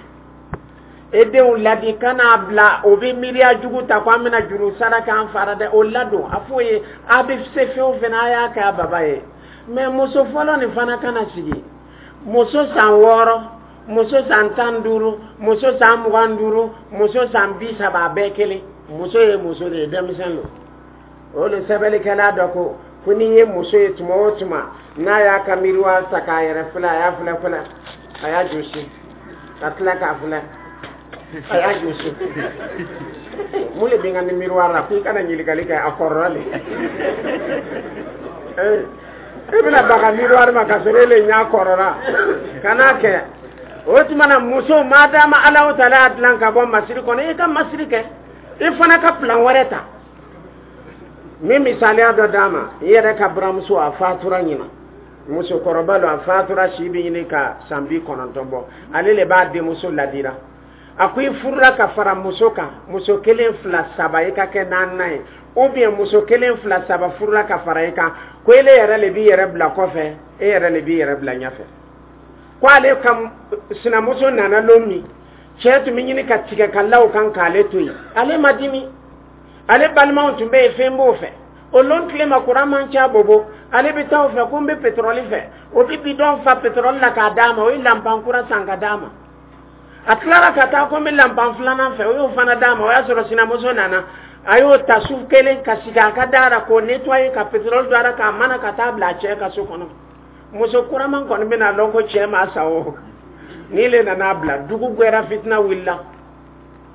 e denw ladi, kan'a bila o bɛ miiriya jugu ta ko an bɛna juru sara k'an fara dɛ. O ladon, a f'o ye, a bɛ se fɛn o fɛn na, a y'a kɛ a baba ye. Mɛ muso fɔlɔ nin fana kana sigi. Muso san 6, muso san 15, muso san 25, muso san 30, a bɛɛ kelen. Muso ye muso de ye, denmisɛn don. O de sɛbɛnnikɛla dɔ ko n'i ye muso ye tuma o tuma n'a y'a ka miiriwa ta k'a yɛrɛ filɛ, a y'a filɛ filɛ, a y'a jɔsi ka tila k'a filɛ, a y'a jɔsi, mun de bɛ n ka ni miiriwari la? Ko i kana ɲininkali kɛ, a kɔrɔla le. E bɛna baga miiriwari ma ka sɔrɔ e le ɲɛ kɔrɔla. Kan'a kɛ. O tuma na, muso, madama Alahu taala y'a dilan ka bɔ masiri kɔnɔ, i ka masiri kɛ, i fana ka plan wɛrɛ ta. Min misaliya dɔ d'a ma, i yɛrɛ ka buramuso, a fatura ɲina, musokɔrɔba don, a fatura, si bɛ ɲini ka san 90 bɔ. Ale le b'a denmuso ladira. A ko i furula ka fara muso kan, muso kelen, fila, saba, i ka kɛ naaninan ye, ou bien muso kelen, fila, saba furula ka fara i kan, ko ele yɛrɛ le b'i yɛrɛ bila kɔfɛ, e yɛrɛ le b'i yɛrɛ bila ɲɛfɛ. Ko ale ka sinamuso nana lon min, cɛ tun bɛ ɲini ka tigɛ ka la o kan k'ale to yen, ale ma dimi. Ale balimaw tun bɛ yen, fɛn b'o fɛ. O lon tile ma, kuran man ca bobo. Ale bɛ taa o fɛ ko n bɛ pétrole fɛ, o bɛ bidɔn fa pétrole la k'a d'a ma, o ye lanpan kura san ka d'a ma. A tilara ka taa ko n bɛ lanpan filanan fɛ, o y'o fana d'a ma. O y'a sɔrɔ sinamuso nana, a y'o ta su kelen ka sigi a ka da la k'o nettoyer, ka pétrole don a la, k'a mana ka taa bila a cɛ ka so kɔnɔ. Muso kuraman kɔni bɛna lɔn ko cɛ ma sa o ni le nana bila. Dugu gbɛra, fitina wulila.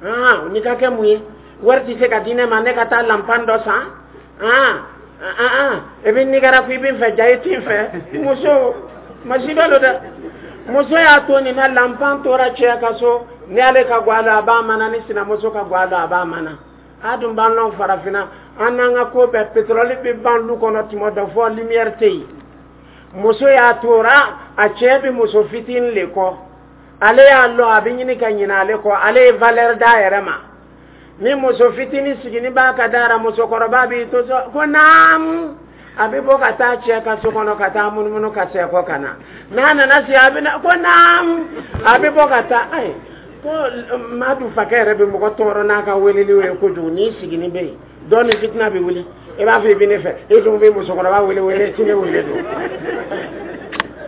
Aa, ni ka kɛ mun ye? Wari tɛ se ka di ne ma, ne ka taa lanpan dɔ san. Aa aa, e bɛ nigara ko i bɛ n fɛ, ja i t'i fɛ. Muso masiba lo dɛ. Muso y'a to nin na, lanpan tora cɛ ka so. Ni ale ka gwa la, a b'a mana. Ni sinamuso ka gwa la, a b'a mana. A dun b'an lɔn farafinna, an n'an ka ko bɛɛ, pétrole bɛ ban lu kɔnɔ tuma dɔ fɔ lumière tɛ yen. Muso y'a tora a cɛ bɛ muso fitinin le kɔ. Ale y'a lɔn a bɛ ɲini ka ɲinɛ ale kɔ, ale ye valeur d'a yɛrɛ ma. Ni muso fitinin sigini b'a ka da la, musokɔrɔba b'i to so ko naamu, a bɛ bɔ ka taa cɛ ka so kɔnɔ ka taa munumunu ka sɛkɔ ka na. N'a nana se, a bɛ na ko naamu, a bɛ bɔ ka taa. Ayi, ko Madu fakɛ yɛrɛ bɛ mɔgɔ tɔɔrɔ n'a ka weleliw ye kojugu. N'i sigini bɛ yen dɔɔni, ni fitina bɛ wuli. I b'a fɔ i bɛ ne fɛ, e dun bɛ musokɔrɔba wele wele, ti ne wele don.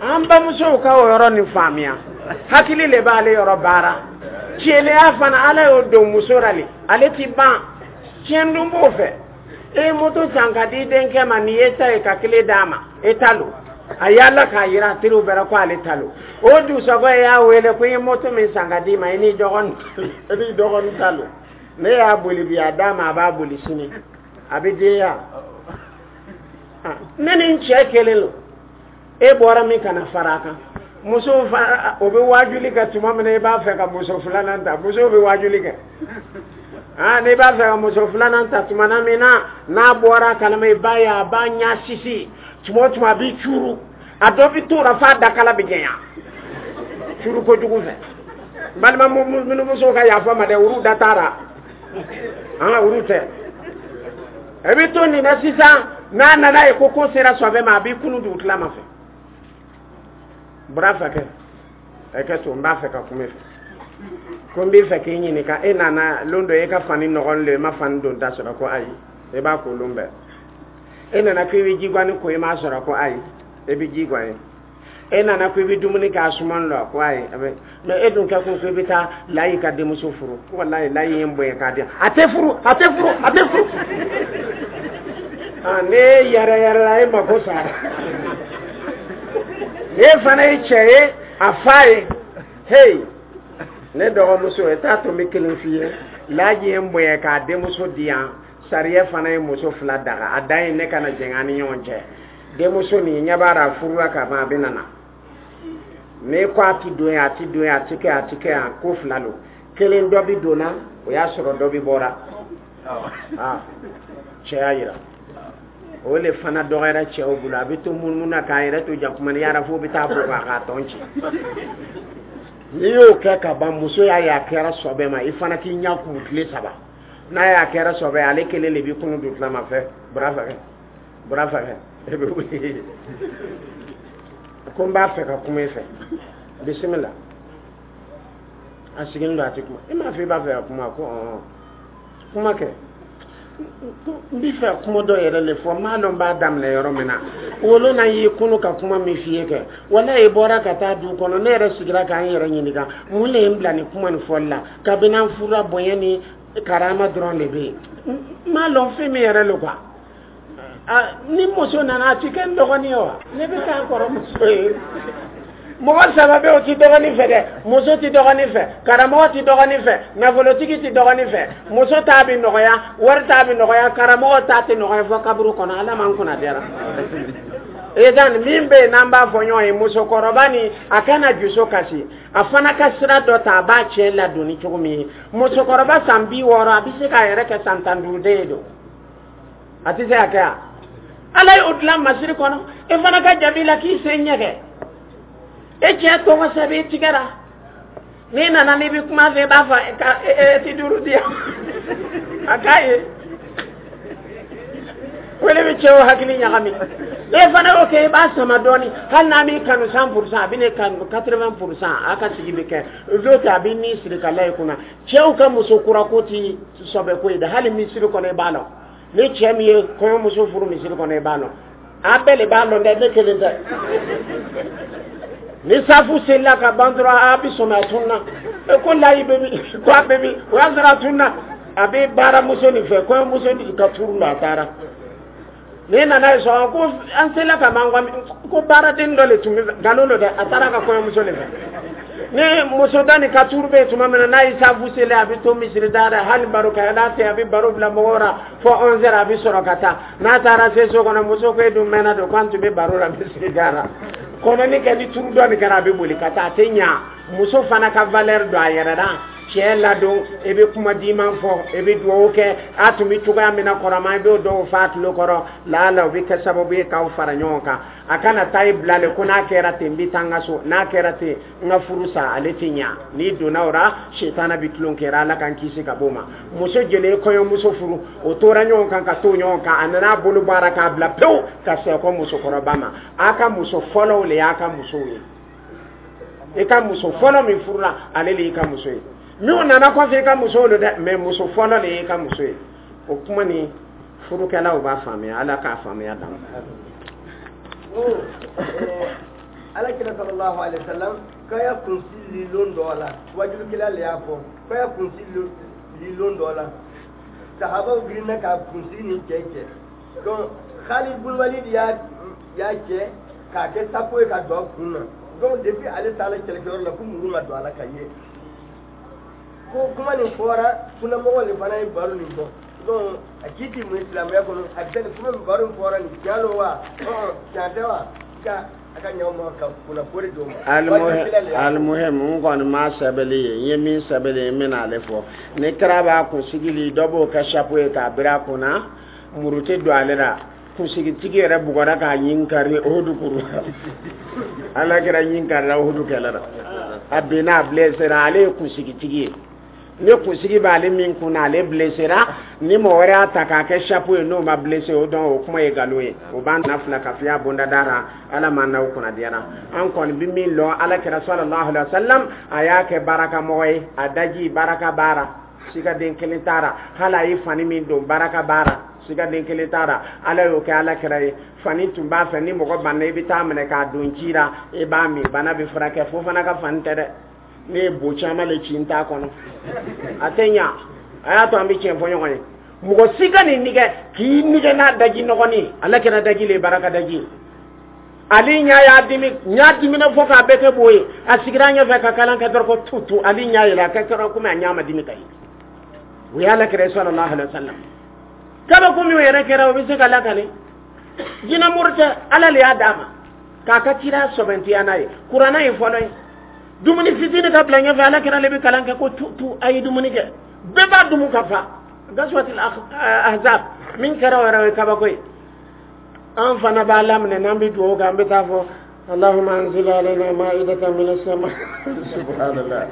An bamusow ka o yɔrɔ nin faamuya, hakili le b'ale yɔrɔ baara. Tiɲɛlenya fana, Ala y'o don muso la le, ale ti ban. Tiɲɛ dun b'o fɛ. E ye moto san ka di denkɛ ma, nin ye ta ye, ka kile d'a ma, e ta lo. A yaala k'a yira a teriw bɛɛ la ko ale ta lo. O dusakɔ y'a wele ko i ye moto min san ka d'i ma, i n'i dɔgɔnin ta lo. Ne y'a boli bi, a d'a ma, a b'a boli sini, a bɛ den. Ne ni n cɛ kelen lo, e bɔra min kana fara a kan. Musow fana, o bɛ waajuli kɛ tuma min na i b'a fɛ ka muso filanan ta, musow bɛ waajuli kɛ. Aa, n'i b'a fɛ ka muso filanan ta tuma min na, n'a bɔra a kalama, i b'a ye a b'a ɲɛ sisi. Tuma o tuma a b'i cuuru, a dɔ bɛ t'o la f'a dakala bɛ jɛnya cuuru kojugu fɛ. Balima musow ka yafa ma dɛ, olu da t'a la, an ka olu tɛ. E bɛ to nin na sisan, n'a nana ye ko ko sera sɔbɛ ma, a b'i kunu dugutila ma fɛ. Bɔra fɛ kɛ ɛ kɛ to, n b'a fɛ ka kuma i fɛ, ko n b'i fɛ k'i ɲininka. E nana lon dɔ, e ka fani nɔgɔn le, e ma fani don ta sɔrɔ. Ko ayi, e b'a ko lon bɛɛ. E nana ko i bɛ jiguani ko, i m'a sɔrɔ. Ko ayi, e bɛ ji guwan ye. E nana ko i bɛ dumuni kɛ, a suman lɔ. Ko ayi, a bɛ mɛ. E dun kɛ kun ko i bɛ taa Layi ka denmuso furu. Ko walayi, Layi ye n bonya k'a di yan, a tɛ furu, a tɛ furu, a tɛ furu. Aa, ne yɛrɛ yɛrɛ la, e mako sara. Ne fana ye cɛ ye, a fa ye. Hey, ne dɔgɔmuso, e t'a to n bɛ kelen f'i ye. Laji ye n bonya k'a denmuso di yan. Sariya fana ye muso fila daga, a dan ye ne kana jɛngɛ an ni ɲɔgɔn cɛ. Denmuso nin ɲɛ b'a la, a furula ka ban, a bɛ nana. N'i ko a ti don yan, a ti don yan, a ti kɛ, a ti kɛ yan. Ko fila don, kelen dɔ bi donna, o y'a sɔrɔ dɔ bi bɔra. Aa, cɛ y'a yira, o le fana dɔgɔyara cɛw bolo. A bɛ to munumunu na k'a yɛrɛ to jakuma ni yara fo bɛ taa bɔ k'a tɔn ci. N'i y'o kɛ ka ban, muso y'a ye a kɛra sɔbɛ ma, i fana k'i ɲɛ kumu tile 3. N'a y'a kɛra sɔbɛ, ale kelen de b'i kunu dugutila fɛ. Bɔra fɛ, bɔra fɛ, e bɛ wuli ko n b'a fɛ ka kuma i fɛ, bisimila. A sigilen don, a tɛ kuma. I m'a fɔ i b'a fɛ ka kuma? Ko ɔn, kuma kɛ. N b'i fɛ kuma dɔ yɛrɛ le fɔ, n m'a dɔn n b'a daminɛ yɔrɔ min na. Wolo na y'i kunu ka kuma min f'i ye kɛ, walayi, i bɔra ka taa du kɔnɔ, ne yɛrɛ sigira k'an yɛrɛ ɲininka mun le ye n bila nin kuma nin fɔli la. Kabini an furula, bonya ni karama dɔrɔn de bɛ yen. N m'a lɔn fɛn min yɛrɛ lo quoi. Ni muso nana, a ti kɛ n dɔgɔnin ye wa? Ne bɛ k'a kɔrɔmuso ye. Mɔgɔ saba bɛ, o ti dɔgɔnin fɛ dɛ. Muso ti dɔgɔnin fɛ, karamɔgɔ ti dɔgɔnin fɛ, nafolotigi ti dɔgɔnin fɛ. Muso t'a bɛ nɔgɔya, wari t'a bɛ nɔgɔya, karamɔgɔ t'a tɛ nɔgɔya fɔ kaburu kɔnɔ. Ala m'an kunna diyara. Edan min bɛ yen n'an b'a fɔ ɲɔgɔn ye, musokɔrɔba ni a kana juso kasi, a fana ka sira dɔ ta, a b'a cɛ ladonni cogo min ye. Musokɔrɔba san 60, a bɛ se k'a yɛrɛ kɛ san 15 den ye don, a tɛ se ka kɛ yan. Ala y'o dilan masiri kɔnɔ. E fana ka jaabi la k'i sen ɲɛgɛn, e cɛ tɔgɔ sɛbɛn i tigɛra. N'i nana n'i bɛ kuma fɛ, i b'a fɔ ka e ti duuru di yan, a k'a ye o de bɛ cɛw hakili ɲagami. E fana y'o kɛ, i b'a sama dɔɔni. Hali n'a m'i kanu 100%, a bɛ ne kanu 80%, a ka sigi bɛ kɛ. N'o tɛ, a bɛ min siri ka la i kunna. Cɛw ka muso kura ko ti sɔbɛ ko ye dɛ. Hali misiri kɔnɔ, i b'a lɔn ni cɛ min ye kɔɲɔmuso furu misiri kɔnɔ, i b'a lɔn. A bɛɛ de b'a lɔn dɛ, ne kelen tɛ. Ni safu selila ka ban dɔrɔn, a bɛ sɔmi a tunna. E ko layi bɛ min? Ko a bɛ min? O y'a sɔrɔ a tunna, a bɛ baaramuso nin fɛ, kɔɲɔmuso nin ka turu la, a taara. N'i nana ye sɔn ko an sela ka ban, ko baaraden dɔ le tun bɛ nkalon don dɛ, a taara ka kɔɲɔmuso de fɛ. Ni muso da ni ka turu bɛ yen tuma min na, n'a ye safu seli, a bɛ to misiri da dɛ. Hali baro kɛ n'a tɛ, a bɛ baro bila mɔgɔw la fo 11 heures, a bɛ sɔrɔ ka taa. N'a taara se so kɔnɔ, muso ko: e dun mɛnna don, k'an tun bɛ baro la misiri da la. Kɔnɔni kɛ ni turu dɔ nin kɛra, a bɛ boli ka taa. A tɛ ɲa. Muso fana ka valeur don a yɛrɛ la. Cɛ ladon, i bɛ kuma diman fɔ, i bɛ dugawu kɛ. A tun bɛ cogoya min na kɔrɔma, i b'o dɔw fɔ a tulo kɔrɔ. Laala o bɛ kɛ sababu ye k'aw fara ɲɔgɔn kan. A kana taa i bila le ko n'a kɛra ten, n bɛ taa n ka so, n'a kɛra ten, n ka furu sa. Ale tɛ ɲa. N'i donna o la, sitana bɛ tulon kɛra. Ala k'an kisi ka bɔ o ma. Muso jeli ye kɔɲɔmuso furu, o tora ɲɔgɔn kan ka to ɲɔgɔn kan, a nana a bolo bɔ a la k'a bila pewu ka sɛkɔ musokɔrɔba ma. A ka muso fɔlɔw le y'a ka musow ye. I ka muso fɔlɔ min furula, ale de y'i ka muso ye. Minnu nana kɔfɛ, i ka musow don dɛ, mais muso fɔlɔ de y'i ka muso ye. O kuma ni furukɛlaw b'a faamuya, Ala k'a faamuya d'an ma. Ala kira sallallahu alaihi wasallam k'a ya kunsi lilon dɔ la, wajulukɛla le y'a fɔ k'a ya kunsi lilon dɔ la, sahabaw girinna ka kunsi ni cɛ cɛ. Donc Khalid bun Walid y'a cɛ k'a kɛ sapo ye ka don a kun na. Donc depuis ale taara kɛlɛkɛyɔrɔ la, ko muru ma don a la ka ye. Ko kuma nin fɔra, kunnamɔgɔw de fana ye baro nin fɔ. Donc a ci ti mun ye silamɛya kɔnɔ? A bɛ nin kuma min baro nin fɔra nin, tiɲɛ don wa, tiɲɛ tɛ wa? Ka a ka ɲaw ma ka kunnafoni d'o ma. Alimuhim, n kɔni ma sɛbɛnni ye, n ye min sɛbɛnni ye, n bɛna ale fɔ. Ni kira b'a kunsigi li, dɔ b'o kɛ chapeau ye k'a biri a kunna, muru tɛ don ale la. Kunsigitigi yɛrɛ bugɔra k'a ɲin kari Uhudu kuru. Ala kɛra ɲin karila Uhudu kɛlɛ la, a binna, a blessera. Ale ye kunsigitigi ye. Ni kunsigi b'ale min kunna, ale blessera. Ni mɔgɔ wɛrɛ y'a ta k'a kɛ chapeau ye, n'o ma blessé, o dɔn o kuma ye nkalon ye. O b'an na fila kafiya bondada la. Ala ma n'aw kunnadiyara. An kɔni bɛ min lɔn, Ala kɛra sallallahu alaihi wa sallam, a y'a kɛ baraka mɔgɔ ye. A daji baraka baara, sigaden kelen taara. Hali a ye fani min don, baraka baara, sigaden kelen taara. Ala y'o kɛ Ala kɛra ye. Fani tun b'a fɛ, ni mɔgɔ banna, i bɛ taa minɛ k'a don ji la, i b'a min, bana bɛ furakɛ. Fo fana ka fani tɛ dɛ, ne ye bo caman le ci n t'a kɔnɔ, a tɛ ɲa. A y'a to an bɛ tiɲɛ fɔ ɲɔgɔn ye. Mɔgɔ si ka nin nigɛ k'i nigɛ n'a daji nɔgɔnin. Ala kɛra daji le, baraka daji. Ale ɲa y'a dimi, ɲa dimina fo k'a bɛɛ kɛ bo ye. A sigira ɲɛfɛ ka kalan kɛ dɔrɔn, ko tu tu, ale ɲa yɛlɛ, a kɛ kɛra komi a ɲa ma dimi ka ye. O ye Ala kɛra sallallahu alaihi wa sallam. Kabako min yɛrɛ kɛra, o bɛ se ka lakale. Jinɛmuru tɛ, Ala le y'a d'a ma k'a ka kira sɔbɛntiya n'a ye. Kuranna ye fɔlɔ ye. Dumuni fitini ka bila ɲɛfɛ, Ala kɛra ale bɛ kalan kɛ ko tu tu, a ye dumuni kɛ, bɛɛ b'a dumu ka fa. Gaswatil Ahzab min kɛra, o yɛrɛ o ye kabako ye. An fana b'a laminɛ n'an bɛ dugawu kɛ, an bɛ taa fɔ Allahumma anzil alayna ma'idatan minas sama. Subhanallah,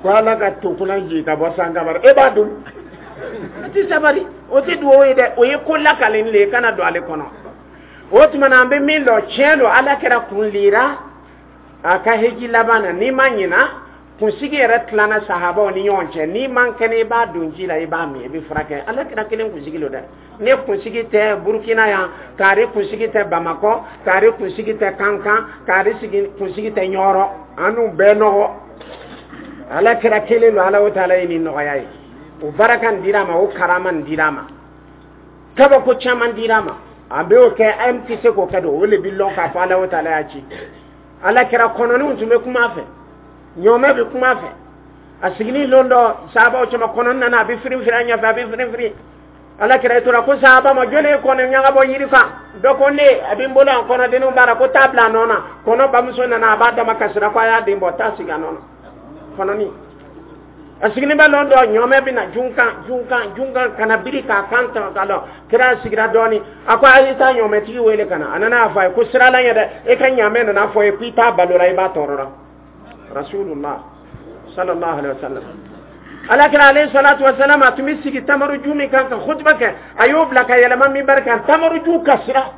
ko Ala ka to kunna jigin ka bɔ sankaba. E b'a dun, o tɛ sabari, o tɛ dugawu ye dɛ, o ye ko lakalen le ye, kana don ale kɔnɔ. O tuma na, an bɛ min dɔn, tiɲɛ don, Ala kɛra kun lira a ka heji laban na. N'i ma ɲina, kunsigi yɛrɛ tilana sahabaw ni ɲɔgɔn cɛ. N'i man kɛnɛ, i b'a don ji la, i b'a min, i bɛ furakɛ. Ala kɛra kelen kunsigi lo dɛ. Ne kunsigi tɛ Burukina yan, k'ari kunsigi tɛ Bamakɔ, k'ari kunsigi tɛ Kankan, k'ari kunsigi tɛ Ɲɔrɔ, an n'u bɛɛ nɔgɔ. Ala kɛra kelen don. Ala o taala ye nin nɔgɔya ye. O baraka nin dira a ma, o karama nin dira a ma, kabako caman dira a ma. A bɛ o kɛ, an tɛ se k'o kɛ don. O de bɛ lɔn k'a fɔ Ala o taala y'a ci. Ala kɛra kɔnɔniw tun bɛ kuma a fɛ, ɲɔmɛ bɛ kuma a fɛ. A sigilen lon dɔ sahabaw cɛma, kɔnɔni nana, a bɛ firin firin a ɲɛfɛ, a bɛ firin firin. Ala kɛra tora ko sahaba ma: jɔnni ye kɔnɔ ɲaga bɔ yiri kan? Dɔ ko ne, a bɛ n bolo yan, kɔnɔdenninw b'a la. Ko taa bila a nɔ na. Kɔnɔ bamuso nana, a b'a dama kasira ko a y'a den bɔ, taa sigi a nɔ na. Kɔnɔni a sigilen bɛ lon dɔ, ɲɔmɛ bɛ na junkan junkan junkan ka na biri k'a kan ta ka lɔ. Kira sigira dɔɔni, a ko a ye taa ɲɔmɛtigi wele ka na. A nana a fɔ a ye ko sira la ɲɛ dɛ, e ka ɲamɛ nana fɔ ye k'i t'a balo la, i b'a tɔɔrɔ la. Rasulullah Sallallahu alaihi wasallam. Ala kira alayhi salatu wasalam, a tun bɛ sigi tamaruju min kan ka khutba kɛ, a y'o bila ka yɛlɛma minbari kan. Tamaruju kasira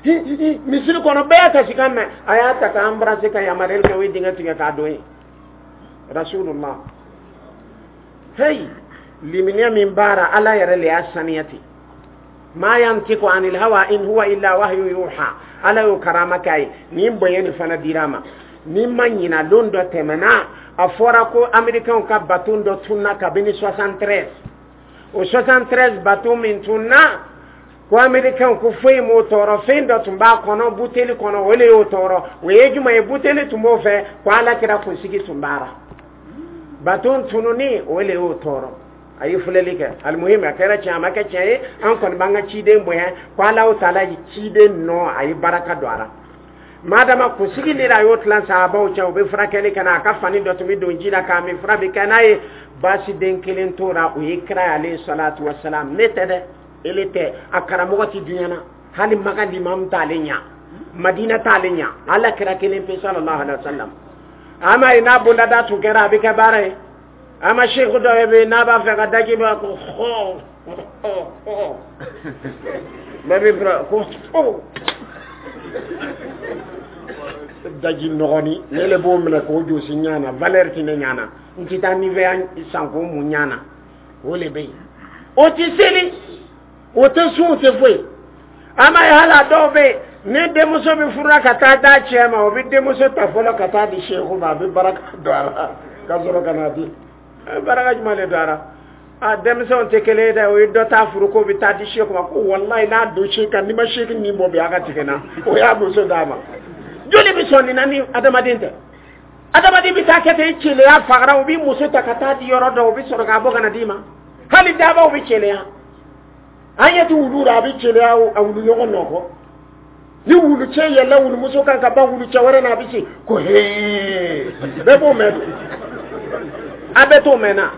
misiri kɔnɔ, bɛɛ y'a kasikan mɛn. A y'a ta ka embrasser, ka yamaruyali kɛ, o ye dingɛ tigɛ k'a don yen. Rasulullah, hey, limaniya min baara, Ala yɛrɛ le y'a saniya ten. Ma yantiqu anil hawa in huwa illa wahyu yuha. Ala y'o karama k'a ye. Nin bonya nin fana dira a ma. Ni ma ɲina, lon dɔ tɛmɛna, a fɔra ko Américains ka bateau dɔ tunna kabini 73. O 73 bateau min tunna, ko Américains ko foyi m'o tɔɔrɔ, fɛn dɔ tun b'a kɔnɔ, buteli kɔnɔ, o le y'o tɔɔrɔ. O ye jumɛn ye? Buteli tun b'o fɛ, ko Ala kira kunsigi tun b'a la. Bateau tununi, o le y'o tɔɔrɔ. A ye filɛli kɛ. Alimuhim, a kɛra tiɲɛ, a ma kɛ tiɲɛ ye, an kɔni b'an ka ciden bonya, ko Ala taala ye ciden nɔ, a ye baraka don a la. Madama kunsigi de a y'o tilan sahabaw cɛ, u bɛ furakɛli kɛ n'a a ka fani dɔ tun bɛ don ji la k'a min, fura bɛ kɛ n'a ye. Baasi den kelen tora, o ye kira ye alayhi salatu wasalam. Ne tɛ dɛ, ele tɛ, a karamɔgɔ ti duɲa na, hali Maka limam t'ale ɲa, Madina t'ale ɲa, Ala kira kelen pe, sallallahu alaihi wasallam. Ama ye n'a bondada tun kɛra, a bɛ kɛ baara ye. Ama seku dɔ bɛ yen, n'a b'a fɛ ka daji bɔ, ko hɔ hɔ hɔ, bɛɛ bɛ fura ko hɔ, daji nɔgɔni, ne le b'o minɛ k'o josi ɲana, valeur ti ne ɲana, n ti taa Nivea san k'o mun ɲana. O le bɛ yen, o ti seli, o tɛ sun, o tɛ foyi. Ama ye hali a dɔw bɛ yen, ni denmuso bɛ furula ka taa d'a cɛ ma, o bɛ denmuso ta fɔlɔ ka taa di seku ma, a bɛ baraka don a la ka sɔrɔ ka na di. Baraka jumɛn de don a la? A denmisɛnw tɛ kelen ye dɛ. O ye dɔ ta furu ko bɛ taa di seku ma, ko walayi, n'a don seku kan, n'i ma seku nin bɔ bi, a ka tigɛ n na. O y'a muso d'a ma. Joli bɛ sɔn nin na ni adamaden tɛ? Adamaden bɛ taa kɛ ten, i celeya fagara, u b'i muso ta ka taa di yɔrɔ dɔ, u bɛ sɔrɔ k'a bɔ ka na d'i ma. Hali dabaw bɛ celeya, an ɲɛ tɛ wulu la, a bɛ celeya a wulu ɲɔgɔn nɔ kɔ. Ni wulu cɛ yɛlɛla wulumuso kan ka ban wulu cɛ wɛrɛ na, a bɛ se ko hee, bɛɛ b'o mɛn don, a bɛɛ t'o mɛn na.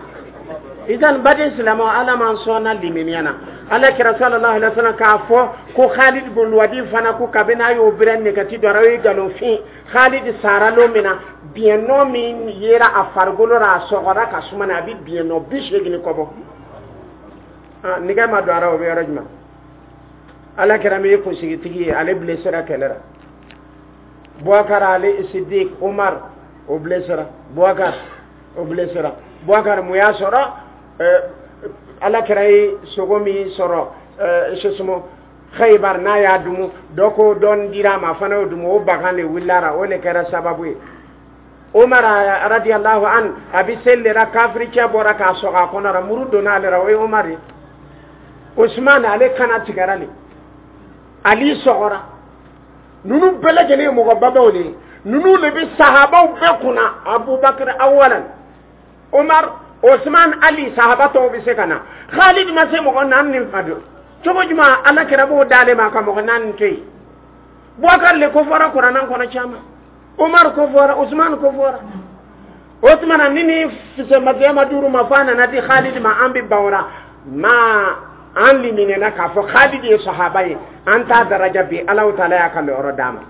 Idan baden silamɛw, Ala m'an sɔnna limaniya na. Ala kira sallallahu alaihi wasallam k'a fɔ ko Khalid bin Walid fana, ko kabini a y'o bɛrɛ nɛgɛti dɔ o ye nkalonfin. Khalid sara lon min na, biɲɛ nɔ min yera a farikolo la, a sɔgɔra ka suma na, a bɛ biɲɛ nɔ 80 kɔ bɔ. Nɛgɛ ma don a la, o bɛ yɔrɔ jumɛn? Ala kira min ye kunsigitigi ye, ale blessera kɛlɛ la. Boubacar ale Siddiq, Omar o blessera, Boubacar o blessera. Boubacar, mun y'a sɔrɔ? Ala kira ye sogo min sɔrɔ sosuma Khaybar, n'a y'a dumu, dɔ ko dɔɔni dira a ma, a fana y'o dumu, o bagan de wulila, o de kɛra sababu ye. Omar radiyallahu an, a bɛ seli de la, kafiri cɛ bɔra k'a sɔgɔ a kɔnɔ la, muru donna ale la, o ye Omar ye. Usman, ale kana tigɛra le. Ali sɔgɔra. Ninnu bɛɛ lajɛlen ye mɔgɔbabaw de ye. Ninnu de bɛ sahabaw bɛɛ kunna: Abubakar awalan, Omar, Osman, Ali, sahaba tɔw bɛ se ka na. Khalid ma se mɔgɔ naani nin fa don cogo jumɛn? Ala kɛra b'o d'ale ma ka mɔgɔ naani to yen. Bubakar le ko fɔra Kuranɛ kɔnɔ caman, Omar ko fɔra, Usman ko fɔra. O tuma na ni fisɛmasiya ma duuru ma f'a nana di Khalid ma, an bɛ ban o la. Ma an liminɛna k'a fɔ Khalid ye sahaba ye, an t'a daraja bi. Alahu taala y'a ka lɔyɔrɔ d'a ma.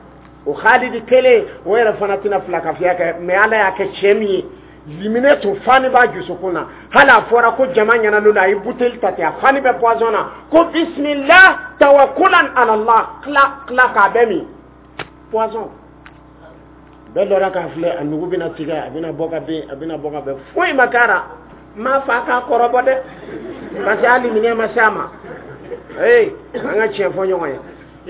O Khalid kelen o yɛrɛ fana tɛna fila kafiya kɛ, mɛ Ala y'a kɛ cɛ min ye, liminɛ tun fani b'a dusukun na. Hali a fɔra ko jama ɲɛna la, a ye buteli ta ten, a fani bɛ poison na, ko bismillah tawakkulan ala Allah, tila tila k'a bɛɛ min poison. Bɛɛ lɔra k'a filɛ, a nugu bɛna tigɛ, a bɛna bɔ ka bin, a bɛna bɔ ka bɛn, foyi ma kɛra. N m'a fɔ a k'a kɔrɔbɔ dɛ, parce que hali minɛ ma se a ma. Ee, an ka tiɲɛ fɔ ɲɔgɔn ye.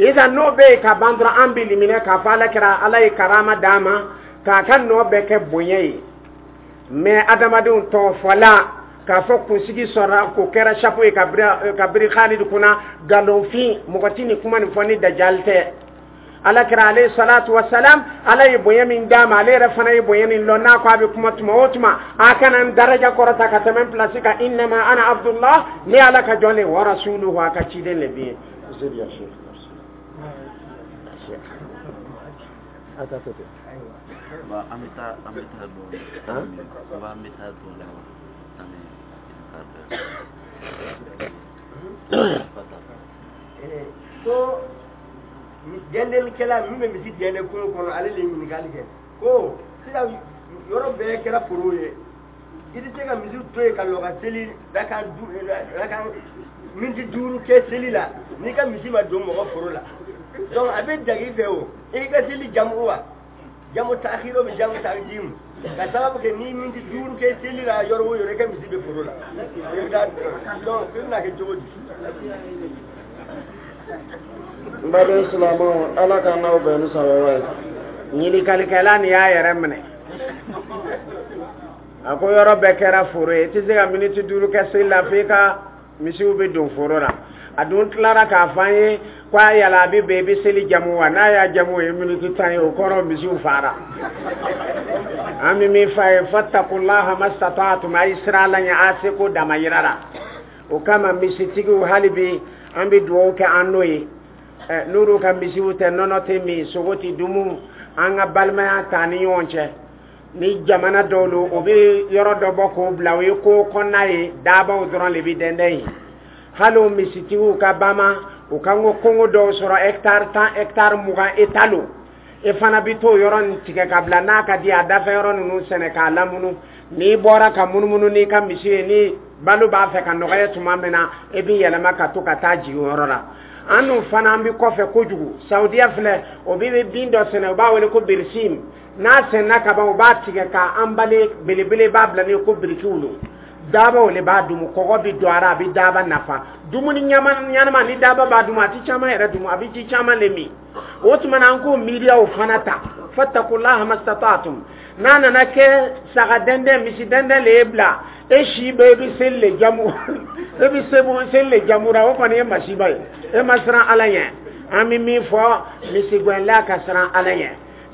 Isan n'o bɛ yen ka ban dɔrɔn, an bɛ liminɛ k'a fɔ Ala kɛra, Ala ye karama d'a ma k'a ka nɔ bɛɛ kɛ bonya ye. Mɛ adamadenw tɔgɔ fɔla k'a fɔ kunsigi sɔrɔla k'o kɛra chapeau ye ka biri Khalid kunna, nkalonfin. Mɔgɔ ti nin kuma nin fɔ ni dajali tɛ. Ala kɛra alayhi salatu wasalam, Ala ye bonya min d'a ma, ale yɛrɛ fana ye bonya min lɔn. N'a ko a bɛ kuma tuma o tuma, a kana n daraja kɔrɔta ka tɛmɛ n place kan. Innama ana abdullah, ne Ala ka jɔn le, wa rasuluhu, a ka ciden le bi ye. Zedi ya sheikh, sheikh, a ta to ten. Ba an bɛ taa dɔɔnin. Ba an bɛ taa dɔɔnin. Ani ko gɛndelikɛla min bɛ misi gɛnde kungo kɔnɔ, ale de ye ɲininkali kɛ ko sisan yɔrɔ bɛɛ kɛra foro ye. I tɛ se ka misi to yen ka lɔ ka seli rakan rakan miniti 5 kɛ seli la n'i ka misi ma don mɔgɔ foro la. Donc a bɛ jagi i fɛ o, i ka seli jamu wa jamu taakiro bɛ jamu takidimu ka sababu kɛ ni miniti 5 kɛ seli la yɔrɔ o yɔrɔ, i ka misi bɛ foro la. I bɛ taa, donc i bɛna kɛ cogo di? N baden silamɛw, Ala ka n'aw bɛn ni sababa ye. Ɲinikalikɛla nin y'a yɛrɛ minɛ, a ko yɔrɔ bɛɛ kɛra foro ye, i tɛ se ka miniti 5 kɛ seli la f'i ka misiw bɛ don foro la. A dun tilara k'a fɔ an ye ko a yala a bɛ bɛn i bɛ seli jamu wa? N'a y'a jamu, o ye miniti 10 ye, o kɔrɔ misiw fara. An bɛ min f'a ye, fatakulaha mastataatum, a ye siran Ala ɲɛ a seko damayira la. O kama misitigiw, hali bi an bɛ dugawu kɛ an n'o ye. N'olu ka misiw tɛ, nɔnɔ tɛ min, sogo tɛ dumu, an ka balimaya t'an ni ɲɔgɔn cɛ. Ni jamana dɔw lo, o bɛ yɔrɔ dɔ bɔ k'o bila, o ye ko kɔnɔna ye, dabaw dɔrɔn de bɛ dɛndɛn yen. Hali o misitigiw ka bama, u kan ko kongo dɔw sɔrɔ, hectare 10, hectare 20, e ta lo, e fana bɛ t'o yɔrɔ nin tigɛ ka bila, n'a ka di a dafɛ yɔrɔ ninnu sɛnɛ k'a lamunu. N'i bɔra ka munumunu n'i ka misi ye, ni balo b'a fɛ ka nɔgɔya tuma min na, e b'i yɛlɛma ka to ka taa jigin o yɔrɔ la. An dun fana, an bɛ kɔfɛ kojugu. Saudiya filɛ, o bɛ bin dɔ sɛnɛ, u b'a wele ko birisim. N'a sɛnɛna ka ban, u b'a tigɛ k'a anbale belebele, b'a bila ni ko birikiw lo, dabaw le b'a dumu, kɔgɔ bɛ don a la, a bɛ daba nafa. Dumuni ɲɛnama ni daba b'a dumu, a ti caman yɛrɛ dumu, a bɛ ji caman le min. O tuma na, an k'o miiriyaw fana ta. Fatakulaha mastataatum. N'a nana kɛ saga dɛndɛn, misi dɛndɛn le ye bila e si bɛɛ, e bɛ seli le jamu, e bɛ seli le jamura, o kɔni ye masiba ye, e ma siran Ala ɲɛ. An bɛ min fɔ misigɛnla, ka siran Ala ɲɛ.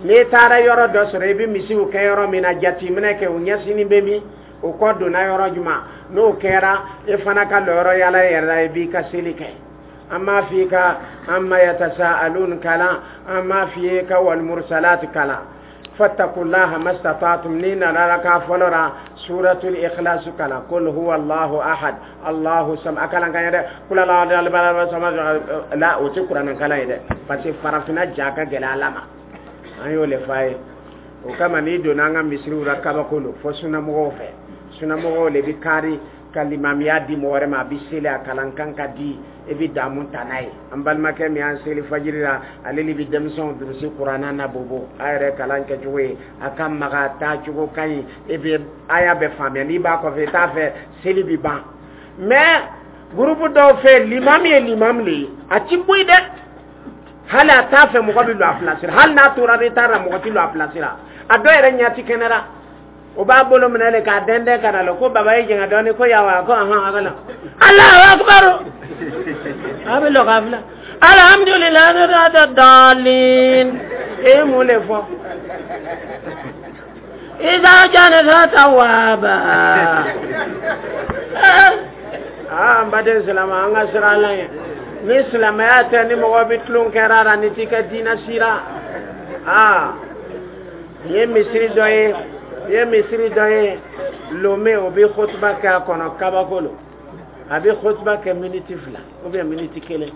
N'i taara yɔrɔ dɔ sɔrɔ, i bɛ misiw kɛ yɔrɔ min na, jateminɛ kɛ, u ɲɛsinni bɛ min, o kɔ donna yɔrɔ jumɛn. N'o kɛra, e fana ka lɔyɔrɔ yala yɛrɛ la, i b'i ka seli kɛ. An m'a f'i ka amma yatasaalun kalan, an m'a f'i ye ka walmursalat kalan. Fattakullaha mastata'tum. Ni nana raka fɔlɔ la, suratul ikhlas kalan, qul huwa Allahu ahad Allahu sam, a kalan kan ye dɛ. Kul ala sama la, o tɛ kuranɛ kalan ye dɛ, parce que farafinna ja ka gɛlɛn Ala ma. An y'o le f'a ye. O kama n'i donna an ka misiriw la, kabako lo fo sunamɔgɔw fɛ. Sunamɔgɔw le bɛ kari ka limamiya di mɔgɔ wɛrɛ ma, a bɛ seli, a kalan kan ka di, i bɛ damu ta n'a ye. An balimakɛ min y'an seli fajiri la, ale de bɛ denmisɛnw durusi kuranna na bobo. A yɛrɛ kalan kɛcogo ye, a ka maga taacogo ka ɲi, e bɛ a y'a bɛɛ faamuya. N'i b'a kɔfɛ, i t'a fɛ seli bɛ ban. Mais groupe dɔw fɛ, limami ye limami le ye, a ti bɔ yen dɛ. Hali a t'a fɛ mɔgɔ bɛ lɔ a place la, hali n'a tora retard la, mɔgɔ ti lɔ a place la. A dɔw yɛrɛ ɲɛ ti kɛnɛ la, o b'a bolo minɛ de k'a dɛndɛn ka na lɔ ko baba ye jɛngɛ dɔɔni, ko yawa, ko ahan, a ka na Alahu akubaru, a bɛ lɔ k'a filɛ, alhamdulilayi daalin. E ye mun de fɔ? Iza janata tawaba. Aa, n baden silamɛ, an ka siran Ala ɲɛ. Ni silamɛya tɛ, ni mɔgɔ bɛ tulon kɛra la, ni t'i ka diinɛ sira. Aa, nin ye misiri dɔ ye, nin ye misiri dɔ ye Lome, o bɛ kutuba kɛ a kɔnɔ, kabako lo. A bɛ kutuba kɛ miniti 2 ou bien miniti 1.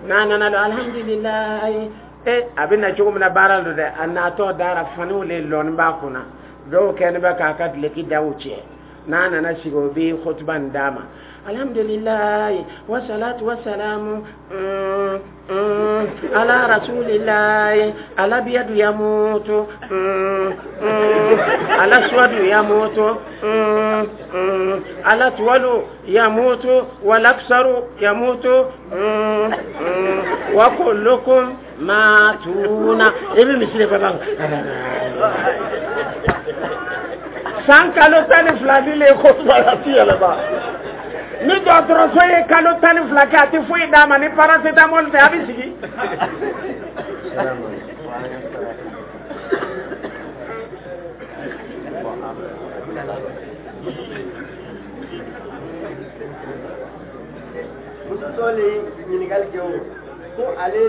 N'a nana don, alhamdulilayi, e a bɛ na cogo min na baara don dɛ, a natɔ dara faniw le lɔni b'a kunna, dɔw kɛlen bɛ k'a ka duloki daw cɛ. N'a nana sigi, o bɛ kutuba nin d'a ma, alhamdulilayi wasalatu wasalamu ala rasulillahi, ala biyadu yamutu, ala suwadu yamutu, ala tuwalu yamutu, walaksaru yamutu, wa kullukum matuna. I bɛ misiri bɛɛ b'a san kalo 12 ni le ko a ti yɛlɛma. Ni dɔgɔtɔrɔso ye kalo 12 kɛ, a tɛ foyi d'a ma ni paracétamol tɛ, a bɛ sigi. Muso dɔ le ye ɲininkali kɛ o ko ale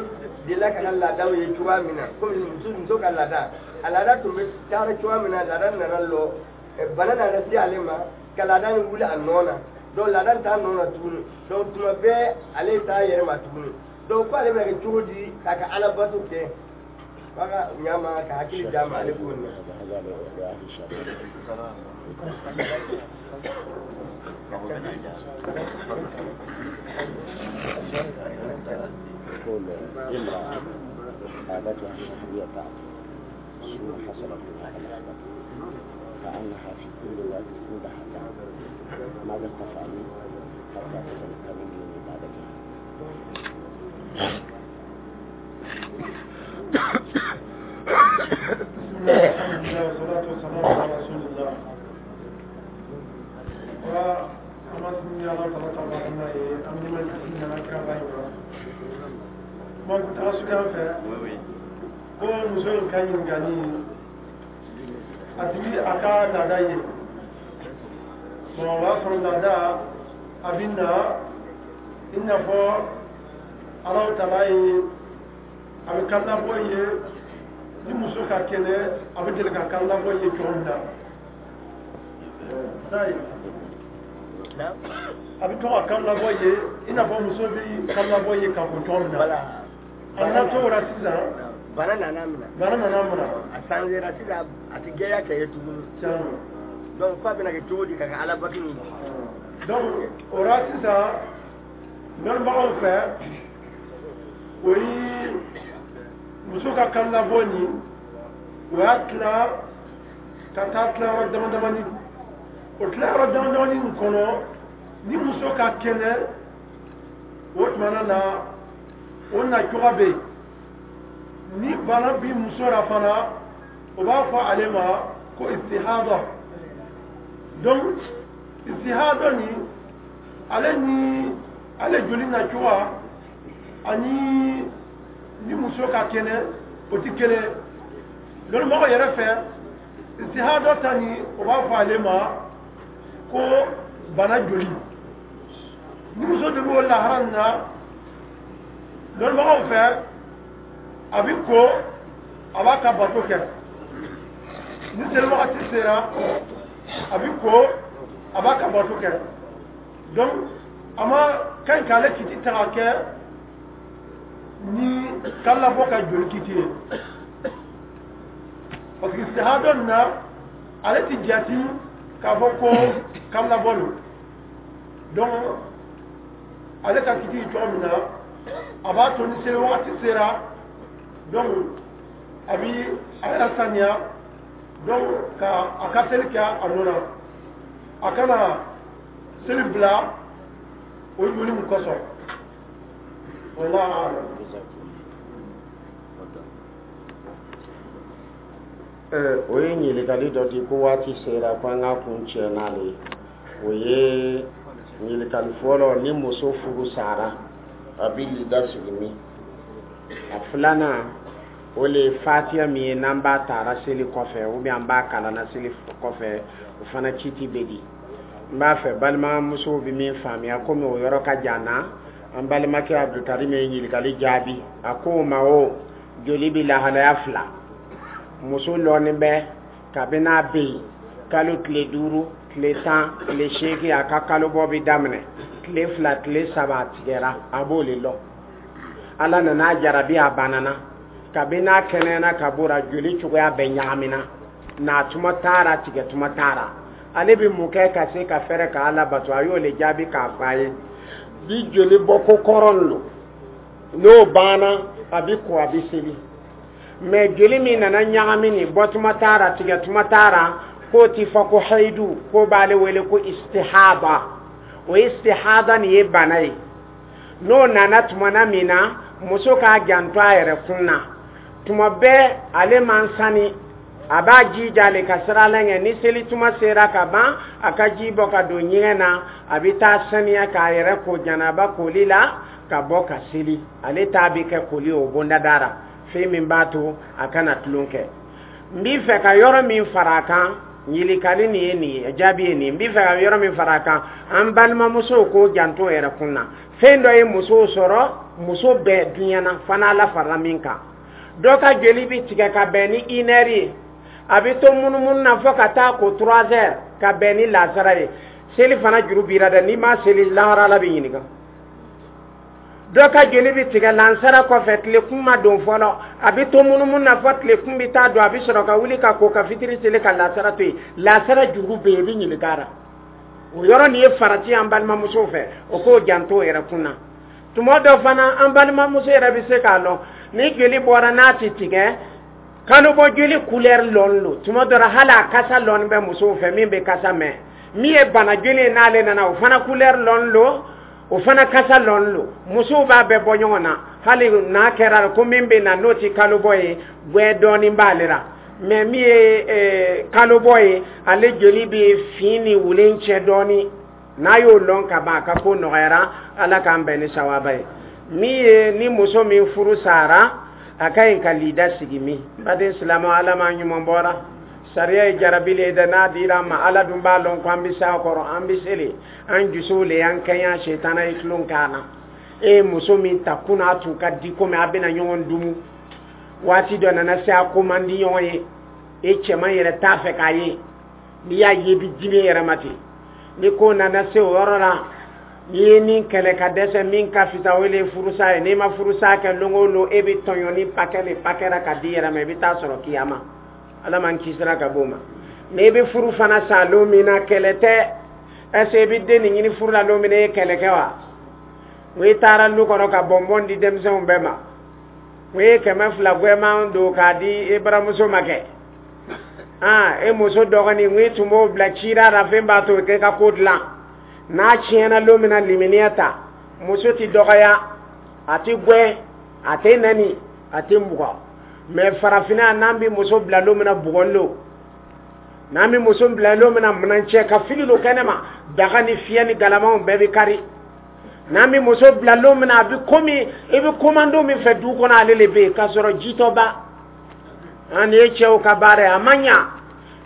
delila ka na laadaw ye cogoya min na, komi muso ka laada, a laada tun bɛ taara cogoya min na, laada nana lɔ, bana nana se ale ma ka laada nin wuli a nɔ na. Donc laada t'a nɔ na tuguni, donc tuma bɛɛ ale t'a yɛrɛ ma tuguni. Donc ko ale bɛna kɛ cogo di k'a ka alabato kɛ? F'a ka ɲama ka hakili d'a ma ale ko nin na. هذا لأهل الشافعي. يقول امرأة عادتها الشهرية تأتي ثم حصلت منها لخبطة كأنها في كل وقت عندها دم، ماذا تفعل حتى تتمكن من عبادتها؟ بسم الله، الحمد لله، والصلاة والسلام على رسول الله. Wa an b'a sini Ala tala ta barama ye, an bɛ ma jigin nana kira ba in ma. Kuma kun taga suguya fɛ ko muso in ka ɲininkali, a tigi a ka laada ye. Bon, o b'a sɔrɔ laada a bɛ na i n'a fɔ Alahu tala ye a bɛ kan labɔ ye. Ni muso ka kɛnɛ, a bɛ deli ka kan labɔ ye cogo min na sayi, a bɛ to ka kan labɔ ye i n'a fɔ muso bɛ kan labɔ ye ka ko cogo min na. A nana to o la sisan. Bana nana minɛ. Bana nana minɛ. A sanzera sisan, a tɛ gɛlɛya kɛ ye tuguni. Tiɲɛ. Donc f'a bɛna kɛ cogo di ka kɛ Ala bato nin? Donc o la sisan, dɔnnibagaw fɛ, o ye muso ka kan labɔ nin, o y'a tila ka taa tilayɔrɔ dama damani. O tilayɔrɔ dama damani nin kɔnɔ, ni muso ka kɛnɛ, o tuma na o na cogoya bɛ yen. Ni bana bi muso la fana, o b'a fɔ ale ma ko istihada. Donc istihada nin, ale ni ale joli na cogoya ani ni muso ka kɛnɛ, o ti kelen. Lɔnnibagaw yɛrɛ fɛ, istihada ta nin, o b'a fɔ ale ma ko bana joli. Ni muso de b'o lahara nin na, lɔnnibagaw fɛ, a bɛ ko, a b'a ka bato kɛ. Ni seli wagati sera, a bɛ ko, a b'a ka bato kɛ. Donc a ma ka ɲi k'ale kiti ta ka kɛ ni kalabɔ ka joli kiti ye, parce que sahadɔ nin na, ale ti jate k'a fɔ ko kalabɔ don. Donc ale ka kiti cogo min na, a b'a to ni seli wagati sera, donc a bi a yɛrɛ saniya, donc ka a ka seli kɛ a nɔ na. A kana seli bila o joli min kosɔn. Wallahu a'lam. O ye ɲininkali dɔ di ko waati sera ko an ka kun cɛ n'ale ye. O ye ɲininkali fɔlɔ: ni muso furu sara, a bɛ lida sigi min? A filanan, o le ye fatiya min ye n'an b'a taara seli kɔfɛ ou bien an b'a kalanna seli kɔfɛ, o fana kiti bɛ di? N b'a fɛ balimamusow bɛ min faamuya, komi o yɔrɔ ka jan na, an balimakɛ Abdulkarim ye ɲininkali jaabi. A ko o ma o joli bɛ lahalaya fila. Muso lɔnnen bɛ kabini a bɛ yen kalo tile 5, tile 10, tile 8, a ka kalobɔ bɛ daminɛ tile 2, tile 3, a tigɛra, a b'o le lɔ. Ala nana a jarabi, a banana. Kabini a kɛnɛyana ka b'o la, joli cogoya bɛɛ ɲagamina n'a tuma taara, tigɛ tuma taara. Ale bɛ mun kɛ ka se ka fɛrɛ ka Ala bato? A y'o le jaabi k'a fɔ a ye: bi joli bɔ ko kɔrɔ lo, n'o banna, a bɛ ko, a bɛ seli. Mɛ joli min nana ɲagami nin, bɔtuma taara, tigɛtuma taara, k'o ti fɔ ko hayidu, k'o b'ale wele ko istihada. O istihada nin ye bana ye. N'o nana tumana min na, muso k'a janto a yɛrɛ kun na tuma bɛɛ, ale man sani, a b'a jija le ka sira la ɲɛ. Ni seli tuma sera ka ban, a ka ji bɔ ka don ɲɛgɛn na, a bɛ taa saniya k'a yɛrɛ ko janaba koli la ka bɔ ka seli. Ale ta bɛ kɛ koli o bondada la, fɛn min b'a to a kana tulon kɛ. N b'i fɛ ka yɔrɔ min fara a kan, ɲininkali nin ye nin ye, jaabi ye nin ye. N b'i fɛ ka yɔrɔ min fara a kan, an balimamusow k'o janto yɛrɛ kun na. Fɛn dɔ ye musow sɔrɔ, muso bɛɛ diɲɛ na fana, Ala farala min kan, dɔ ka joli bɛ tigɛ ka bɛn ni une heure ye, a bɛ to munumunu na fo ka taa ko 3 heures ka bɛn ni lasara ye. Seli fana juru b'i la dɛ, n'i ma seli, lahara Ala bɛ ɲininka. Dɔ ka joli bɛ tigɛ lansara kɔfɛ, tile kun ma don fɔlɔ, a bɛ to munumunu na fɔ tile kun bɛ taa don, a bɛ sɔrɔ ka wuli ka ko ka fitiri seli ka lasara to yen. Lasara juru bɛ yen, i bɛ ɲininka a la. O yɔrɔ nin ye farati an balimamusow fɛ, o k'o janto o yɛrɛ kun na. Tuma dɔ fana, an balimamuso yɛrɛ bɛ se k'a lɔn ni joli bɔra n'a tɛ tigɛ, kalobɔ joli couleur lɔn lo. Tuma dɔ la, hali a kasa lɔn bɛ musow fɛ, min bɛ kasa mɛn. Min ye bana joli ye, n'ale nana, o fana couleur lɔn lo, o fana kasa lɔn lo. Musow b'a bɛɛ bɔ ɲɔgɔn na. Hali n'a kɛra ko min bɛ na n'o tɛ kalobɔ ye, gwɛ dɔɔnin b'ale la. Mais min ye kalobɔ ye, ale joli bɛ fin ni wulen cɛ dɔɔnin. N'a y'o lɔn ka ban, a ka ko nɔgɔyara. Ala k'an bɛn ni sawaba ye. Min ye ni muso min furu sara, a ka ɲi ka lida sigi. Min baden silamɛ, Ala ma ɲuman bɔra sariya ye jarabili ye dɛ. N'a dira an ma, Ala dun b'a lɔn ko an bɛ s'a kɔrɔ, an bɛ seli, an dusuw le y'an kɛɲɛ, setana ye tulon k'an na. E ye muso min ta kunna, a tun ka di komi a bɛna ɲɔgɔn dumu. Waati dɔ nana se, a ko man di ɲɔgɔn ye. E cɛman yɛrɛ t'a fɛ k'a ye, n'i y'a ye i bɛ dimi yɛrɛ ma ten. Ni ko nana se o yɔrɔ la, n'i ye min kɛlɛ ka dɛsɛ, min ka fisa, o de ye furusa ye. N'i ma furusa kɛ, lon o lon e bɛ tɔɲɔ ni pakɛ de pakɛra ka di yɛrɛ ma, i bɛ taa sɔrɔ kiyama. Ala m'an kisira ka b'o ma. N'i bɛ furu fana sa lon min na, kɛlɛ tɛ. Est ce que i bɛ den nin ɲini furu la lon min na, e ye kɛlɛ kɛ wa? O i taara lu kɔnɔ ka bɔnbɔn di denmisɛnw bɛɛ ma, o ye 200 gwɛman don k'a di e baramuso ma kɛ. Aa, e muso dɔgɔnin, n tun b'o bila cira la, fɛn b'a to k'e ka ko dilan. N'a tiɲɛna lon min na, limaniya ta. Muso ti dɔgɔya, a ti gwɛ, a tɛ nɛni, a tɛ bugɔ. Mais farafinna, n'an bɛ muso bila lon min na, bugɔli lo. N'an bɛ muso bila lon min na, minɛncɛ ka fili lo kɛnɛ ma, daga ni fiyɛ ni galamaw bɛɛ bɛ kari. N'an bɛ muso bila lon min na, a bɛ komi i bɛ komando min fɛ du kɔnɔ, ale le bɛ yen k'a sɔrɔ jitɔba. An nin ye cɛw ka baara ye, a ma ɲa.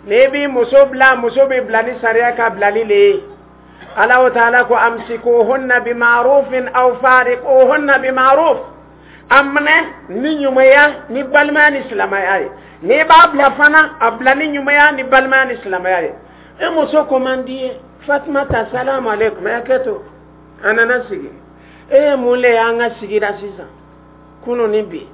N'i b'i muso bila, muso bɛ bila ni sariya ka bilali le ye. Ala taala ko: amsikuhunna bima'rufin aw fariquhunna bima'ruf. A minɛ ni ɲumanya ni balimaya ni silamɛya ye. N'i b'a bila fana, a bila ni ɲumanya ni balimaya ni silamɛya ye. E muso ko man di ye, Fatumata, salamu aleykum, hakɛ to. A nana sigi. E ye mun le y'an ka sigira sisan kunu ni bi?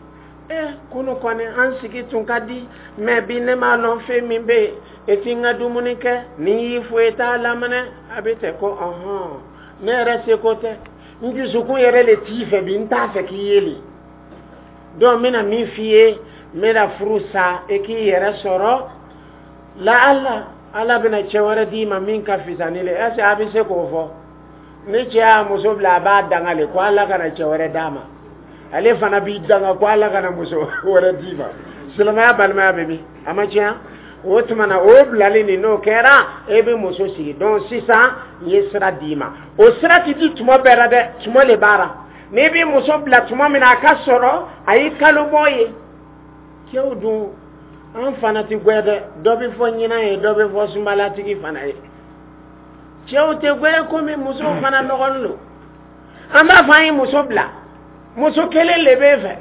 E kunu kɔni, an sigi tun ka di, mais bi ne m'a lɔn fɛn min bɛ yen. E ti n ka dumuni kɛ, ni y'i fo i t'a laminɛ. A bɛ tɛ ko ɔhɔn, ne yɛrɛ seko tɛ, n dusukun yɛrɛ le t'i fɛ bi, n t'a fɛ k'i ye le. Donc n bɛna min f'i ye, n bɛna furu sa, e k'i yɛrɛ sɔrɔ la. Ala, Ala bɛna cɛ wɛrɛ d'i ma min ka fisa ni le. Est ce que a bɛ se k'o fɔ? Ni cɛ y'a muso bila, a b'a danga le ko Ala kana cɛ wɛrɛ d'a ma. Ale fana b'i danga ko Ala kana muso wɛrɛ d'i ma. Silamɛya balimaya bɛ min, a ma tiɲɛ. O tuma na, o bilali nin, n'o kɛra, e bɛ muso sigi. Donc sisan n ye sira d'i ma. O sira ti di tuma bɛɛ la dɛ, tuma le b'a la. N'i bɛ muso bila tuma min na, a ka sɔrɔ a y'i kalo bɔ ye. Cɛw dun, an fana ti gwɛ dɛ. Dɔ bɛ fɔ ɲinan ye, dɔ bɛ fɔ sunbalatigi fana ye. Cɛw tɛ gwɛ komi musow fana nɔgɔlen don. An b'a fɔ an ye muso bila, muso kelen le b'e fɛ.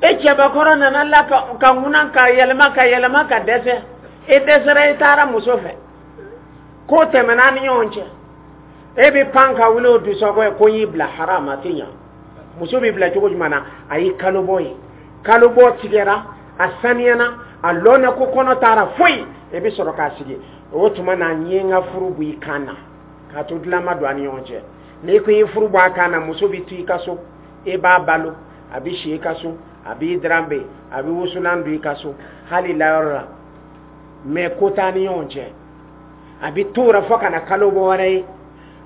E cɛbakɔrɔ nana la ka ŋuna ka yɛlɛma ka yɛlɛma ka dɛsɛ, e dɛsɛra, e taara muso fɛ, ko tɛmɛna ni ɲɔgɔn cɛ, e bɛ pan ka wuli o dusɔkɔ ye ko n y'i bila haram. A tɛ ɲa. Muso bɛ bila cogo jumɛn na? A y'i kalo bɔ ye, kalo bɔ tigɛra, a saniyana, a lɔnna ko kɔnɔ taara foyi, e bɛ sɔrɔ k'a sigi. O tuma na, n ye n ka furu bɔ i kan na k'a to dilan ma don a ni ɲɔgɔn cɛ. N'i ko i ye furu bɔ a kan na, muso bɛ to i ka so, e b'a balo, a bɛ si i ka so, a b'i daranbe, a bɛ wusulan don i ka so, hali layɔrɔ la, mais ko t'a ni ɲɔgɔn cɛ. A bɛ t'o la fo ka na kalo bɔ wɛrɛ ye,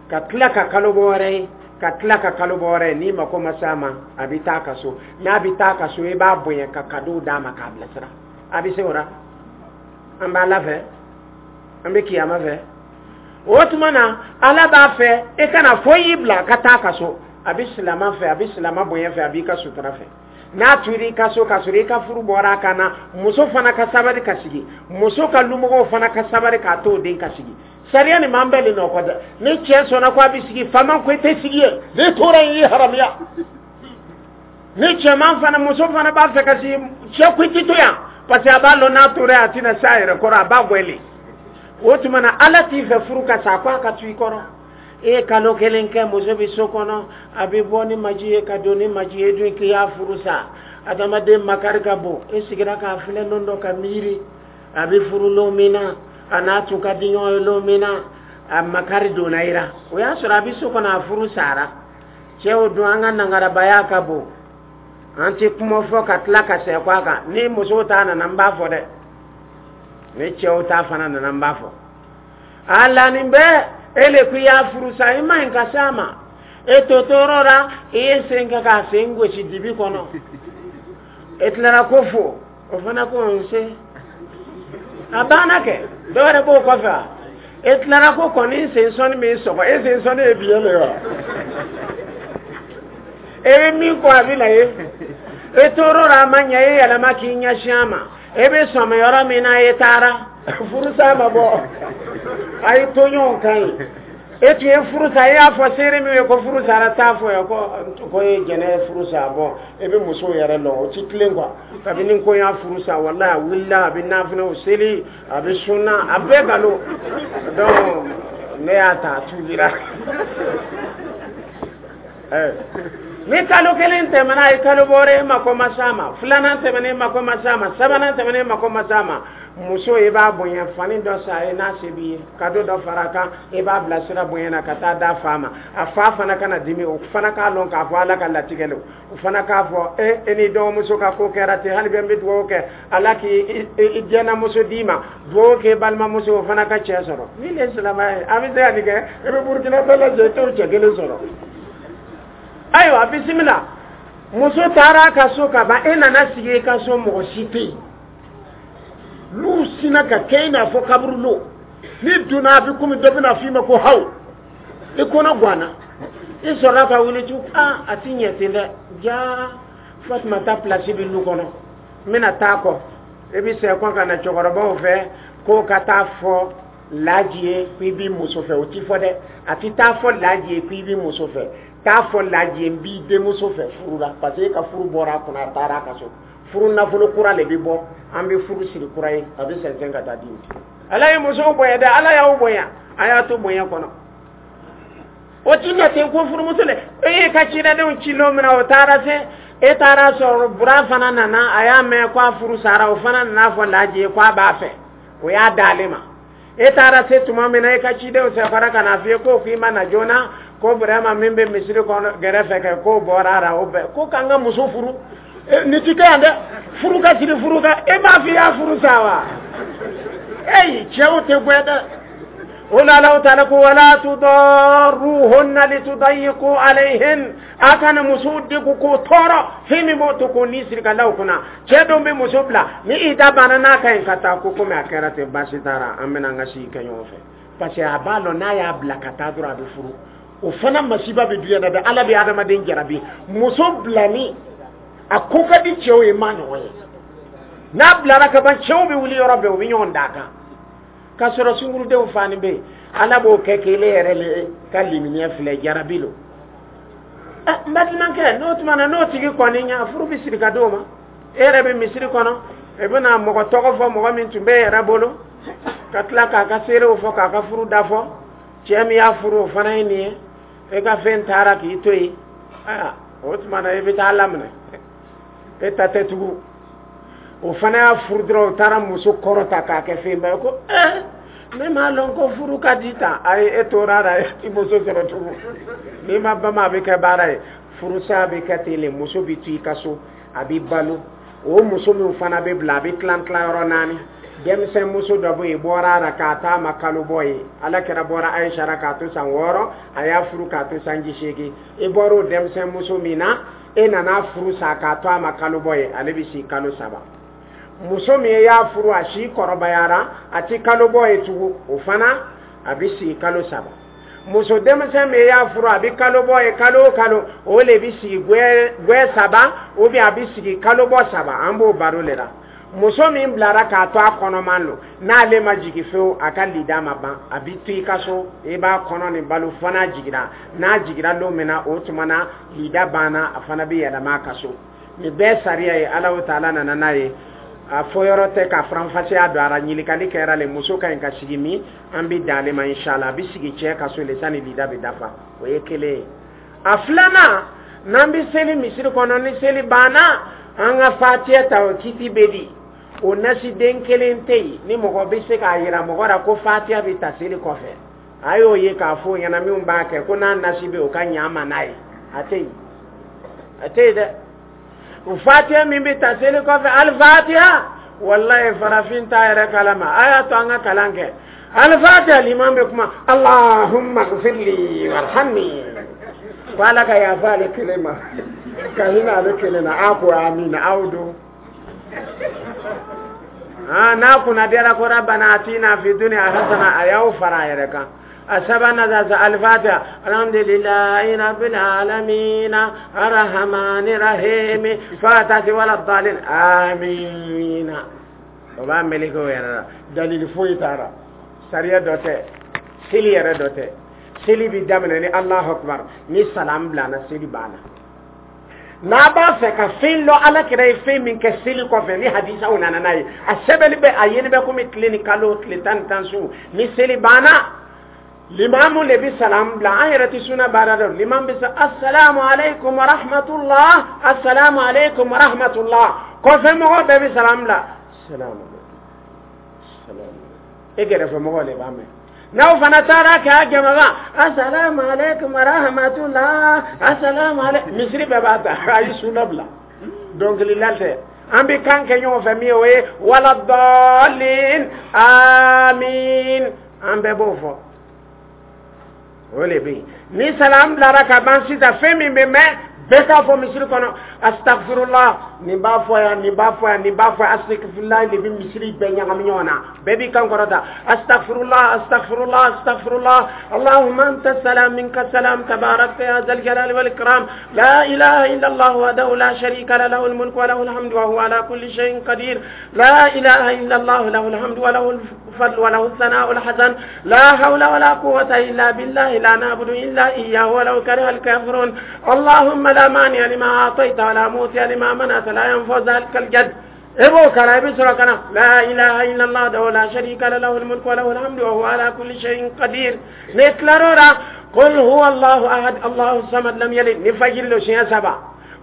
ka tila ka kalo bɔ wɛrɛ ye, ka tila ka kalo bɔ wɛrɛ ye. N'i mako ma s'a ma, a bɛ taa ka so. N'a bɛ taa ka so, i b'a bonya ka cadeau d'a ma k'a bilasira. A bɛ se o la. An b'a la fɛ, an bɛ kiyama fɛ. O tuma na, Ala b'a fɛ e kana foyi y'i bila ka taa ka so. A bɛ silama fɛ, a bɛ silama bonya fɛ, a b'i ka sutura fɛ. N'a tora i ka so ka sɔrɔ i ka furu bɔra a kan na, muso fana ka sabali ka sigi, muso ka lumɔgɔw fana ka sabali k'a to o den ka sigi. Sariya nin m'an bɛɛ le nɔ kɔ dɛ. Ni cɛ sɔnna ko a bɛ sigi, faama ko i tɛ sigi yen, n'i tora yen, i ye haramuya. Ni cɛman fana, muso fana b'a fɛ ka sigi, cɛ ko i tɛ to yan, parce que a b'a lɔn n'a tora yen, a tɛna se a yɛrɛ kɔrɔ, a b'a gwɛlɛ. O tuma na, Ala t'i fɛ furu ka sa, ko a ka to i kɔrɔ. E ye kalo kelen kɛ, muso bɛ so kɔnɔ, a bɛ bɔ ni maji ye ka don ni maji ye, dun k'i y'a furu sa. Adamaden makari ka bon. E sigira k'a filɛ lon dɔ ka miiri a bɛ furu lon min na, a n'a tun ka di ɲɔgɔn ye lon min na, a makari donna i la. O y'a sɔrɔ a bɛ so kɔnɔ, a furu sara. Cɛw dun, an ka nangarabaya ka bon, an tɛ kuma fɔ ka tila ka sɛkɔ a kan. Ni musow ta nana, n b'a fɔ dɛ. Ni cɛw ta fana nana, n b'a fɔ. A la nin bɛɛ, e le ko i y'a furu sa, i ma ɲi ka s'a ma. E to tɔɔrɔ la, i ye sen kɛ k'a sen gosi dibi kɔnɔ. E tilara ko fo, o fana ko nse. A banna kɛ, dɔ wɛrɛ b'o kɔfɛ wa? E tilara ko kɔni sen sɔnni min sɔgɔ, e sen sɔnni ye biɲɛ de ye wa? E bɛ min kɔ, a bɛ na ye. E tor'o la, a ma ɲɛ, e yɛlɛma k'i ɲɛsin a ma. E bɛ sɔmi yɔrɔ min na, e taara furusa ma bɔ, a ye to ɲɔgɔn kan ye. E tun ye furu sa, e y'a fɔ seere min ye ko furu sara, t'a fɔ ye ko e jɛnɛ ye furu sa. Bɔn, e bɛ musow yɛrɛ lɔn, o ti tilen quoi. Kabini ko y'a furu sa, walahi, a wulila, a bɛ nafinɛw seli, a bɛ sunna, a bɛɛ nkalon. Donc ne y'a ta, a tuubira. Ni kalo kelen tɛmɛna, a ye kalo bɔra, e mako ma s'a ma. Filanan tɛmɛna, e mako ma s'a ma. Sabanan tɛmɛna, e mako ma s'a ma. Muso, i b'a bonya, fani dɔ san ye n'a se b'i ye, cadeau dɔ fara a kan, i b'a bilasira bonya na ka taa d'a fa ma. A fa fana kana dimi, o fana k'a lɔn k'a fɔ Ala ka latigɛ lo. O fana k'a fɔ e ni dɔgɔmuso ka ko kɛra ten. Hali bɛ n bɛ dugawu kɛ, Ala k'i i diɲɛnamuso d'i ma. Dugawu kɛ balimamuso, o fana ka cɛ sɔrɔ. Ni le silamɛ ye, a bɛ se ka nin kɛ. I bɛ Burukina bɛɛ lajɛ, i t'o cɛ kelen sɔrɔ. Ayiwa, bisimila. Muso taara a ka so ka ban, e nana sigi i ka so, mɔgɔ si tɛ yen. N'u sinna ka kɛ i n'a fɔ kaburulo, n'i donna, a bɛ komi dɔ bɛna f'i ma ko haw, i kɔnɔ ganna. I sɔrɔla ka wuli tugun. Aa, a ti ɲɛ ten dɛ. Jaa, Fatumata place bɛ lu kɔnɔ, n bɛna taa kɔ. E bɛ sɛkɔ ka na cɛkɔrɔbaw fɛ k'o ka taa fɔ Laji ye ko i b'i muso fɛ. O ti fɔ dɛ, a ti taa fɔ Laji ye ko i b'i muso fɛ. Taa fɔ Laji ye n b'i denmuso fɛ furu la, parce que e ka furu bɔra a kunna, a taara a ka so. Furu nafolo kura le bɛ bɔ, an bɛ furu siri kura ye, a bɛ sɛnsɛn ka taa d'i ma. Ala ye musow bonya dɛ, Ala y'aw bonya, a y'a to bonya kɔnɔ. O ti ɲɛ ten ko furumuso le. E y'i ka cidenw ci lon min na, o taara se, e taara sɔrɔ Bura fana nana, a y'a mɛn ko a furu sara, o fana nana fɔ Laji ye ko a b'a fɛ, o y'a d'ale ma. E taara se tuma min na, e ka cidenw sɛfara ka na f'i ye ko k'i ma na joona, ko Burama min bɛ misiri kɔnɔ gɛrɛfɛ kɛ, k'o bɔra a la, o bɛɛ ko k'an ka muso furu. Nin ti kɛ yan dɛ, furu ka siri furu ka, e m'a fɔ i y'a furu sa wa? Eyi, cɛw tɛ gɛn dɛ. O la, Alahu taala ko wala tudarruhunna litudayiqu alayhin, a kana musow degun k'o tɔɔrɔ, fɛn min b'o to k'o ni siri ka la o kunna. Cɛ dɔw bɛ muso bila, ni i da banna n'a ka ɲi ka taa, ko komi a kɛra ten, baasi taara, an bɛna an ka sigi kɛ ɲɔgɔn fɛ, parce que a b'a lɔn n'a y'a bila ka taa dɔrɔn, a bɛ furu. O fana masiba bɛ duɲɛ na dɛ. Ala bɛ adamaden jarabi. Muso bilani, a ko ka di cɛw ye, maa ɲɔgɔn ye. N'a bilara ka ban, cɛw bɛ wuli yɔrɔ bɛɛ, u bɛ ɲɔgɔn d'a kan k'a sɔrɔ sunkurudenw fani bɛ yen. Ala b'o kɛ k'ele yɛrɛ le ka limaniya filɛ, jarabi lo. N balimakɛ, n'o tuma na, n'o tigi kɔni ɲa, furu bɛ siri ka d'o ma. E yɛrɛ bɛ misiri kɔnɔ, e bɛna mɔgɔ tɔgɔ fɔ, mɔgɔ min tun bɛ e yɛrɛ bolo, ka tila k'a ka seerew fɔ, k'a ka furu da fɔ. Cɛ min y'a furu, o fana ye nin ye. E ka fɛn taara k'i to yen. Ayiwa, o tuma na, e bɛ taa laminɛ, e ta tɛ tugun. O fana y'a furu dɔrɔn, o taara muso kɔrɔ ta k'a kɛ fɛnba ye, ko ne m'a lɔn ko furu ka di tan. Ayi, e tora a la, e ti muso sɔrɔ tugun. N'i ma bama, a bɛ kɛ baara ye. Furusa bɛ kɛ ten le, muso bɛ to i ka so, a bɛ balo. O muso min fana bɛ bila, a bɛ tilan tilan yɔrɔ naani. Denmisɛn muso dɔ bɛ yen, bɔra a la k'a taa ma kalo bɔ ye. Ala kɛra bɔra Ayisa la k'a to san 6, a y'a furu k'a to sanji 8. I bɔra o denmisɛn muso min na, e nana furu sa k'a to a ma kalo bɔ ye, ale bɛ si kalo 3. Muso min y'a furu, a si kɔrɔbayara, a ti kalo bɔ ye tugun, o fana a bɛ sigi kalo 3. Muso denmisɛn min y'a furu, a bɛ kalo bɔ ye kalo o kalo, o le bɛ sigi gwɛ 3, ou bien a bɛ sigi kalo bɔ 3. An b'o baro le la. Muso min bilara k'a to a kɔnɔman lo, n'ale ma jigin fewu, a ka lida ma ban, a bɛ to i ka so, i b'a kɔnɔ nin balo fo n'a jiginra. N'a jiginra don min na, o tuma na lida banna, a fana bɛ yɛlɛma a ka so. Nin bɛɛ sariya ye, Alahu taala nana n'a ye. A fɔ yɔrɔ tɛ ka faranfasiya don a la. Ɲininkali kɛra le, muso ka ɲi ka sigi min, an bɛ dan ale ma inshallah. A bɛ sigi cɛ ka so le sani lida bɛ dafa. O ye kelen ye. A filanan, n'an bɛ seli misiri kɔnɔ, ni seli banna, an ka fatiya ta, o kiti bɛ di. O nasiden kelen tɛ yen ni mɔgɔ bɛ se k'a yira mɔgɔ la ko fatiya bɛ ta seli kɔfɛ. A y'o ye k'a fɔ o ɲɛna, minnu b'a kɛ ko n'a nasi bɛ, o ka ɲa ma n'a ye. A tɛ yen, a tɛ yen dɛ. O fatiya min bɛ ta seli kɔfɛ, alifatiya, walayi, farafin t'a yɛrɛ kalama. A y'a to an ka kalan kɛ. Alifatiya, liman bɛ kuma "Allahumma gfirli warhamni", ko Ala ka yafa ale kelen ma, ka hinɛ ale kelen na. A ko amina, aw don n'a kunna diyara ko "Rabbana atina fi dunya hasana", a y'aw fara a yɛrɛ kan. A sabanan sa, alifatiha, "Alhamdulillahi rabbil alamin arrahmani rahim", fo ka taa se "wala dalin amina". O b'a meleke o yɛrɛ la. Dalili foyi t'a la, sariya dɔ tɛ, seli yɛrɛ dɔ tɛ. Seli bi daminɛ ni "Allahu akbar", ni salam bilana, seli banna. N'a b'a fɛ ka fɛn lɔ, Ala kɛra ye fɛn min kɛ seli kɔfɛ, ni hadisaw nana n'a ye, a sɛbɛnni bɛ, a yeli bɛ komi tile ni kalo tile 10 ni 10 su. Ni seli banna, limamu le bi salam bila. An yɛrɛ tɛ suna baara dɔn. Limamu bɛ sa "Assalamu alaikum wa rahmatullah, assalamu alaikum wa rahmatullah". Kɔfɛ mɔgɔ bɛɛ bɛ salam bila, "Salamu alaikum, salamu". E kɛrɛfɛ mɔgɔ de b'a mɛn. N'aw fana taara kɛ a jama "Assalamu alaikum wa rahmatullah, assalamu alaikum", misiri bɛɛ b'a ta. A ye suna bila, dɔnkilila tɛ. An bɛ kan kɛ ɲɔgɔn fɛ min ye, o ye "wala dɔɔlin amin", an bɛɛ b'o fɔ. O le bɛ yen. Ni salam bilara ka ban sisan, fɛn min bɛ mɛn, bɛɛ k'a fɔ misiri kɔnɔ "Astagfirullah". Nin b'a fɔ yan, nin b'a fɔ yan, nin b'a fɔ yan. Astagfirullah de bɛ misiri bɛɛ ɲagami ɲɔgɔn na. Bɛɛ b'i kan kɔrɔta "Astagfirullah, astagfirullah, astagfirullah. Allahumma anta salam, minka salam, tabarakta ya zal jalali wal ikram. La ilaha illa Allah wahdahu la sharika lahu, lahul mulku wa lahul hamdu wa huwa ala kulli shay'in qadir. La ilaha illa Allah, lahul hamdu wa lahul fadlu wa lahu الثناء الحسن. لا حول ولا قوة إلا بالله، لا نعبد إلا إياه ولو كره الكافرون. اللهم لا مانع لما أعطيت ولا موتي لما منعت، لا ينفع ذلك الجد". إبو كان يبسر كان "لا إله إلا الله وحده لا شريك له، له الملك وله الحمد وهو على كل شيء قدير". نتلرورا "قل هو الله أحد، الله الصمد، لم يلد". نفجر له شيء سبع،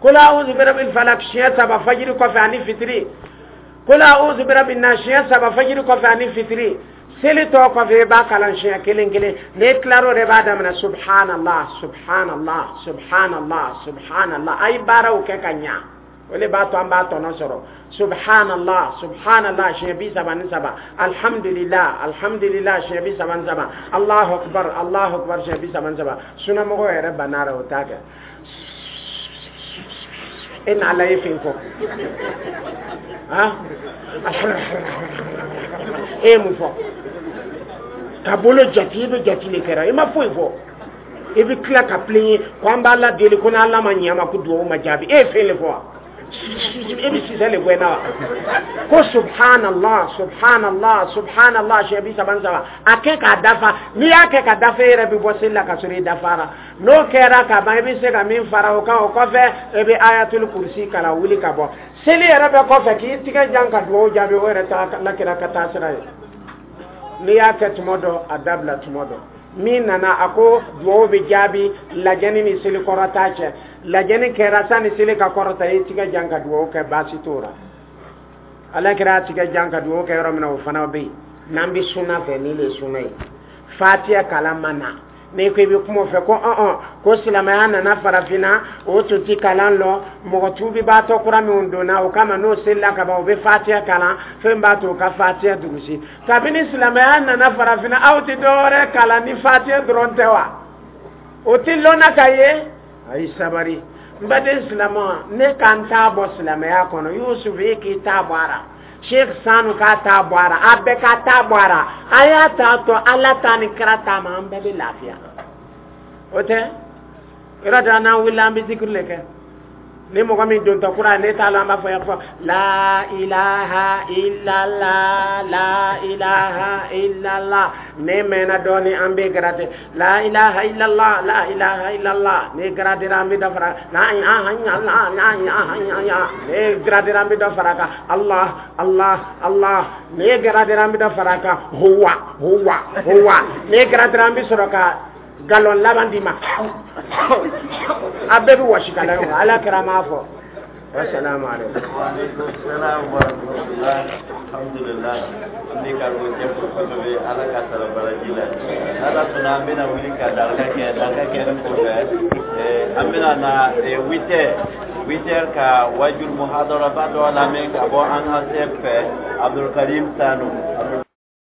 "قل أعوذ برب الفلق" شيء سبع فجر كفى عن fitiri، "قل أعوذ برب الناس" siɲɛ saba fajiri kɔfɛ ani fitiri. Seli tɔ kɔfɛ, i b'a kalan siɲɛ kelen kelen. N'i tilar'o de, b'a daminɛ "Subhanallah, subhanallah, subhanallah, subhanallah". A ye baaraw kɛ ka ɲa, o de b'a to an b'a tɔnɔ sɔrɔ. "Subhanallah, subhanallah" siɲɛ 33, "Alhamdulillah, alhamdulillah" siɲɛ 33, "Allahu akbar, Allahu akbar" siɲɛ 33. Sunamɔgɔw yɛrɛ banna o t'a kɛ. E n'Ala ye fɛn fɔ, han, e ye mun fɔ ka bolo jate? I bɛ jate de kɛra, i ma foyi fɔ. I bɛ tila ka pilen ko an b'Ala deli, ko n'Ala ma ɲɛ ma, ko duwawu ma jaabi. E ye fɛn de fɔ wa? E bɛ sisɛ de bɔ i na wa? Ko "Subhanallah, subhanallah, subhanallah" siɲɛ 33, a kɛ k'a dafa. N'i y'a kɛ ka dafa, e yɛrɛ bɛ bɔ seli la ka sɔrɔ i dafara. N'o kɛra ka ban, i bɛ se ka min fara o kan, o kɔfɛ e bɛ ayatul kurusi kalan, wuli ka bɔ seli yɛrɛ bɛɛ kɔfɛ k'i tigɛ jan ka duwawu jaabi. O yɛrɛ ta lakira ka taa sira ye. N'i y'a kɛ tuma dɔ, a dabila tuma dɔ. Min nana, a ko duwawu bɛ jaabi lajɛni ni seli kɔrɔta cɛ. Lajɛni kɛra, sani seli ka kɔrɔta, i tigɛ jan ka duwawu kɛ, baasi t'o la. Ala kɛra a tigɛ jan ka duwawu kɛ yɔrɔ min na, o fana bɛ yen. N'an bɛ sunna fɛ, ni le sunna ye, fatiya kalan ma na. N'i ko i bɛ kuma o fɛ ko ɔn ko silamɛya nana farafinna, o tun ti kalan lɔ. Mɔgɔ tuubibaatɔ kura minnu donna o kama, n'o selila ka ban, o bɛ fatiya kalan. Fɛn b'a to o ka fatiya durusi. Kabini silamɛya nana farafinna, aw tɛ dɔwɛrɛ kalan ni fatiya dɔrɔn tɛ wa? O ti lɔnna ka ye. A ye sabari, n baden silamɛ. Ne ka n t'a bɔ silamɛya kɔnɔ. Yusuf, e k'i t'a bɔ a la. Sheikh Sanu k'a t'a bɔ a la. A bɛɛ ka t'a bɔ a la. A y'a ta to Ala ta ni kira ta ma, an bɛɛ bɛ lafiya. O tɛ yɔrɔ dɔ, n'an wulila, an bɛ zikiri le kɛ. Ni mɔgɔ min dontɔ kura, ne t'a la, an b'a fɔ yan fɔ la ilaha illallah, la ilaha illallah. Ne mɛnna dɔɔni, an bɛ garate la ilaha illallah, la ilaha illallah. Ne garatera, an bɛ dɔ fara la ilaha illallah, la ilaha illallah. Ne garatera, an bɛ dɔ fara kan Allah, Allah, Allah. Ne garatera, an bɛ dɔ fara kan huwa, huwa, huwa. Ne garatera, an bɛ sɔrɔ ka galon laban d'i ma. A bɛɛ bɛ wɔsi ka da ɲɔgɔn kan. Ala kɛra m'a fɔ. Wasalaamu aleykum. Waaleykum salaam wa rahmatulah. Alhamdulilah, an bɛ karamɔgɔcɛ fo kosɛbɛ. Ala ka sara baraji la. N'Ala sɔnna, an bɛna wuli ka daraka kɛ. Daraka kɛlen kɔfɛ, an bɛna na 8 heures, 8 heures ka wajul muhadaraba dɔ lamɛn ka bɔ an ka sɛ fɛ, Abdulkarim Sanu Abdul.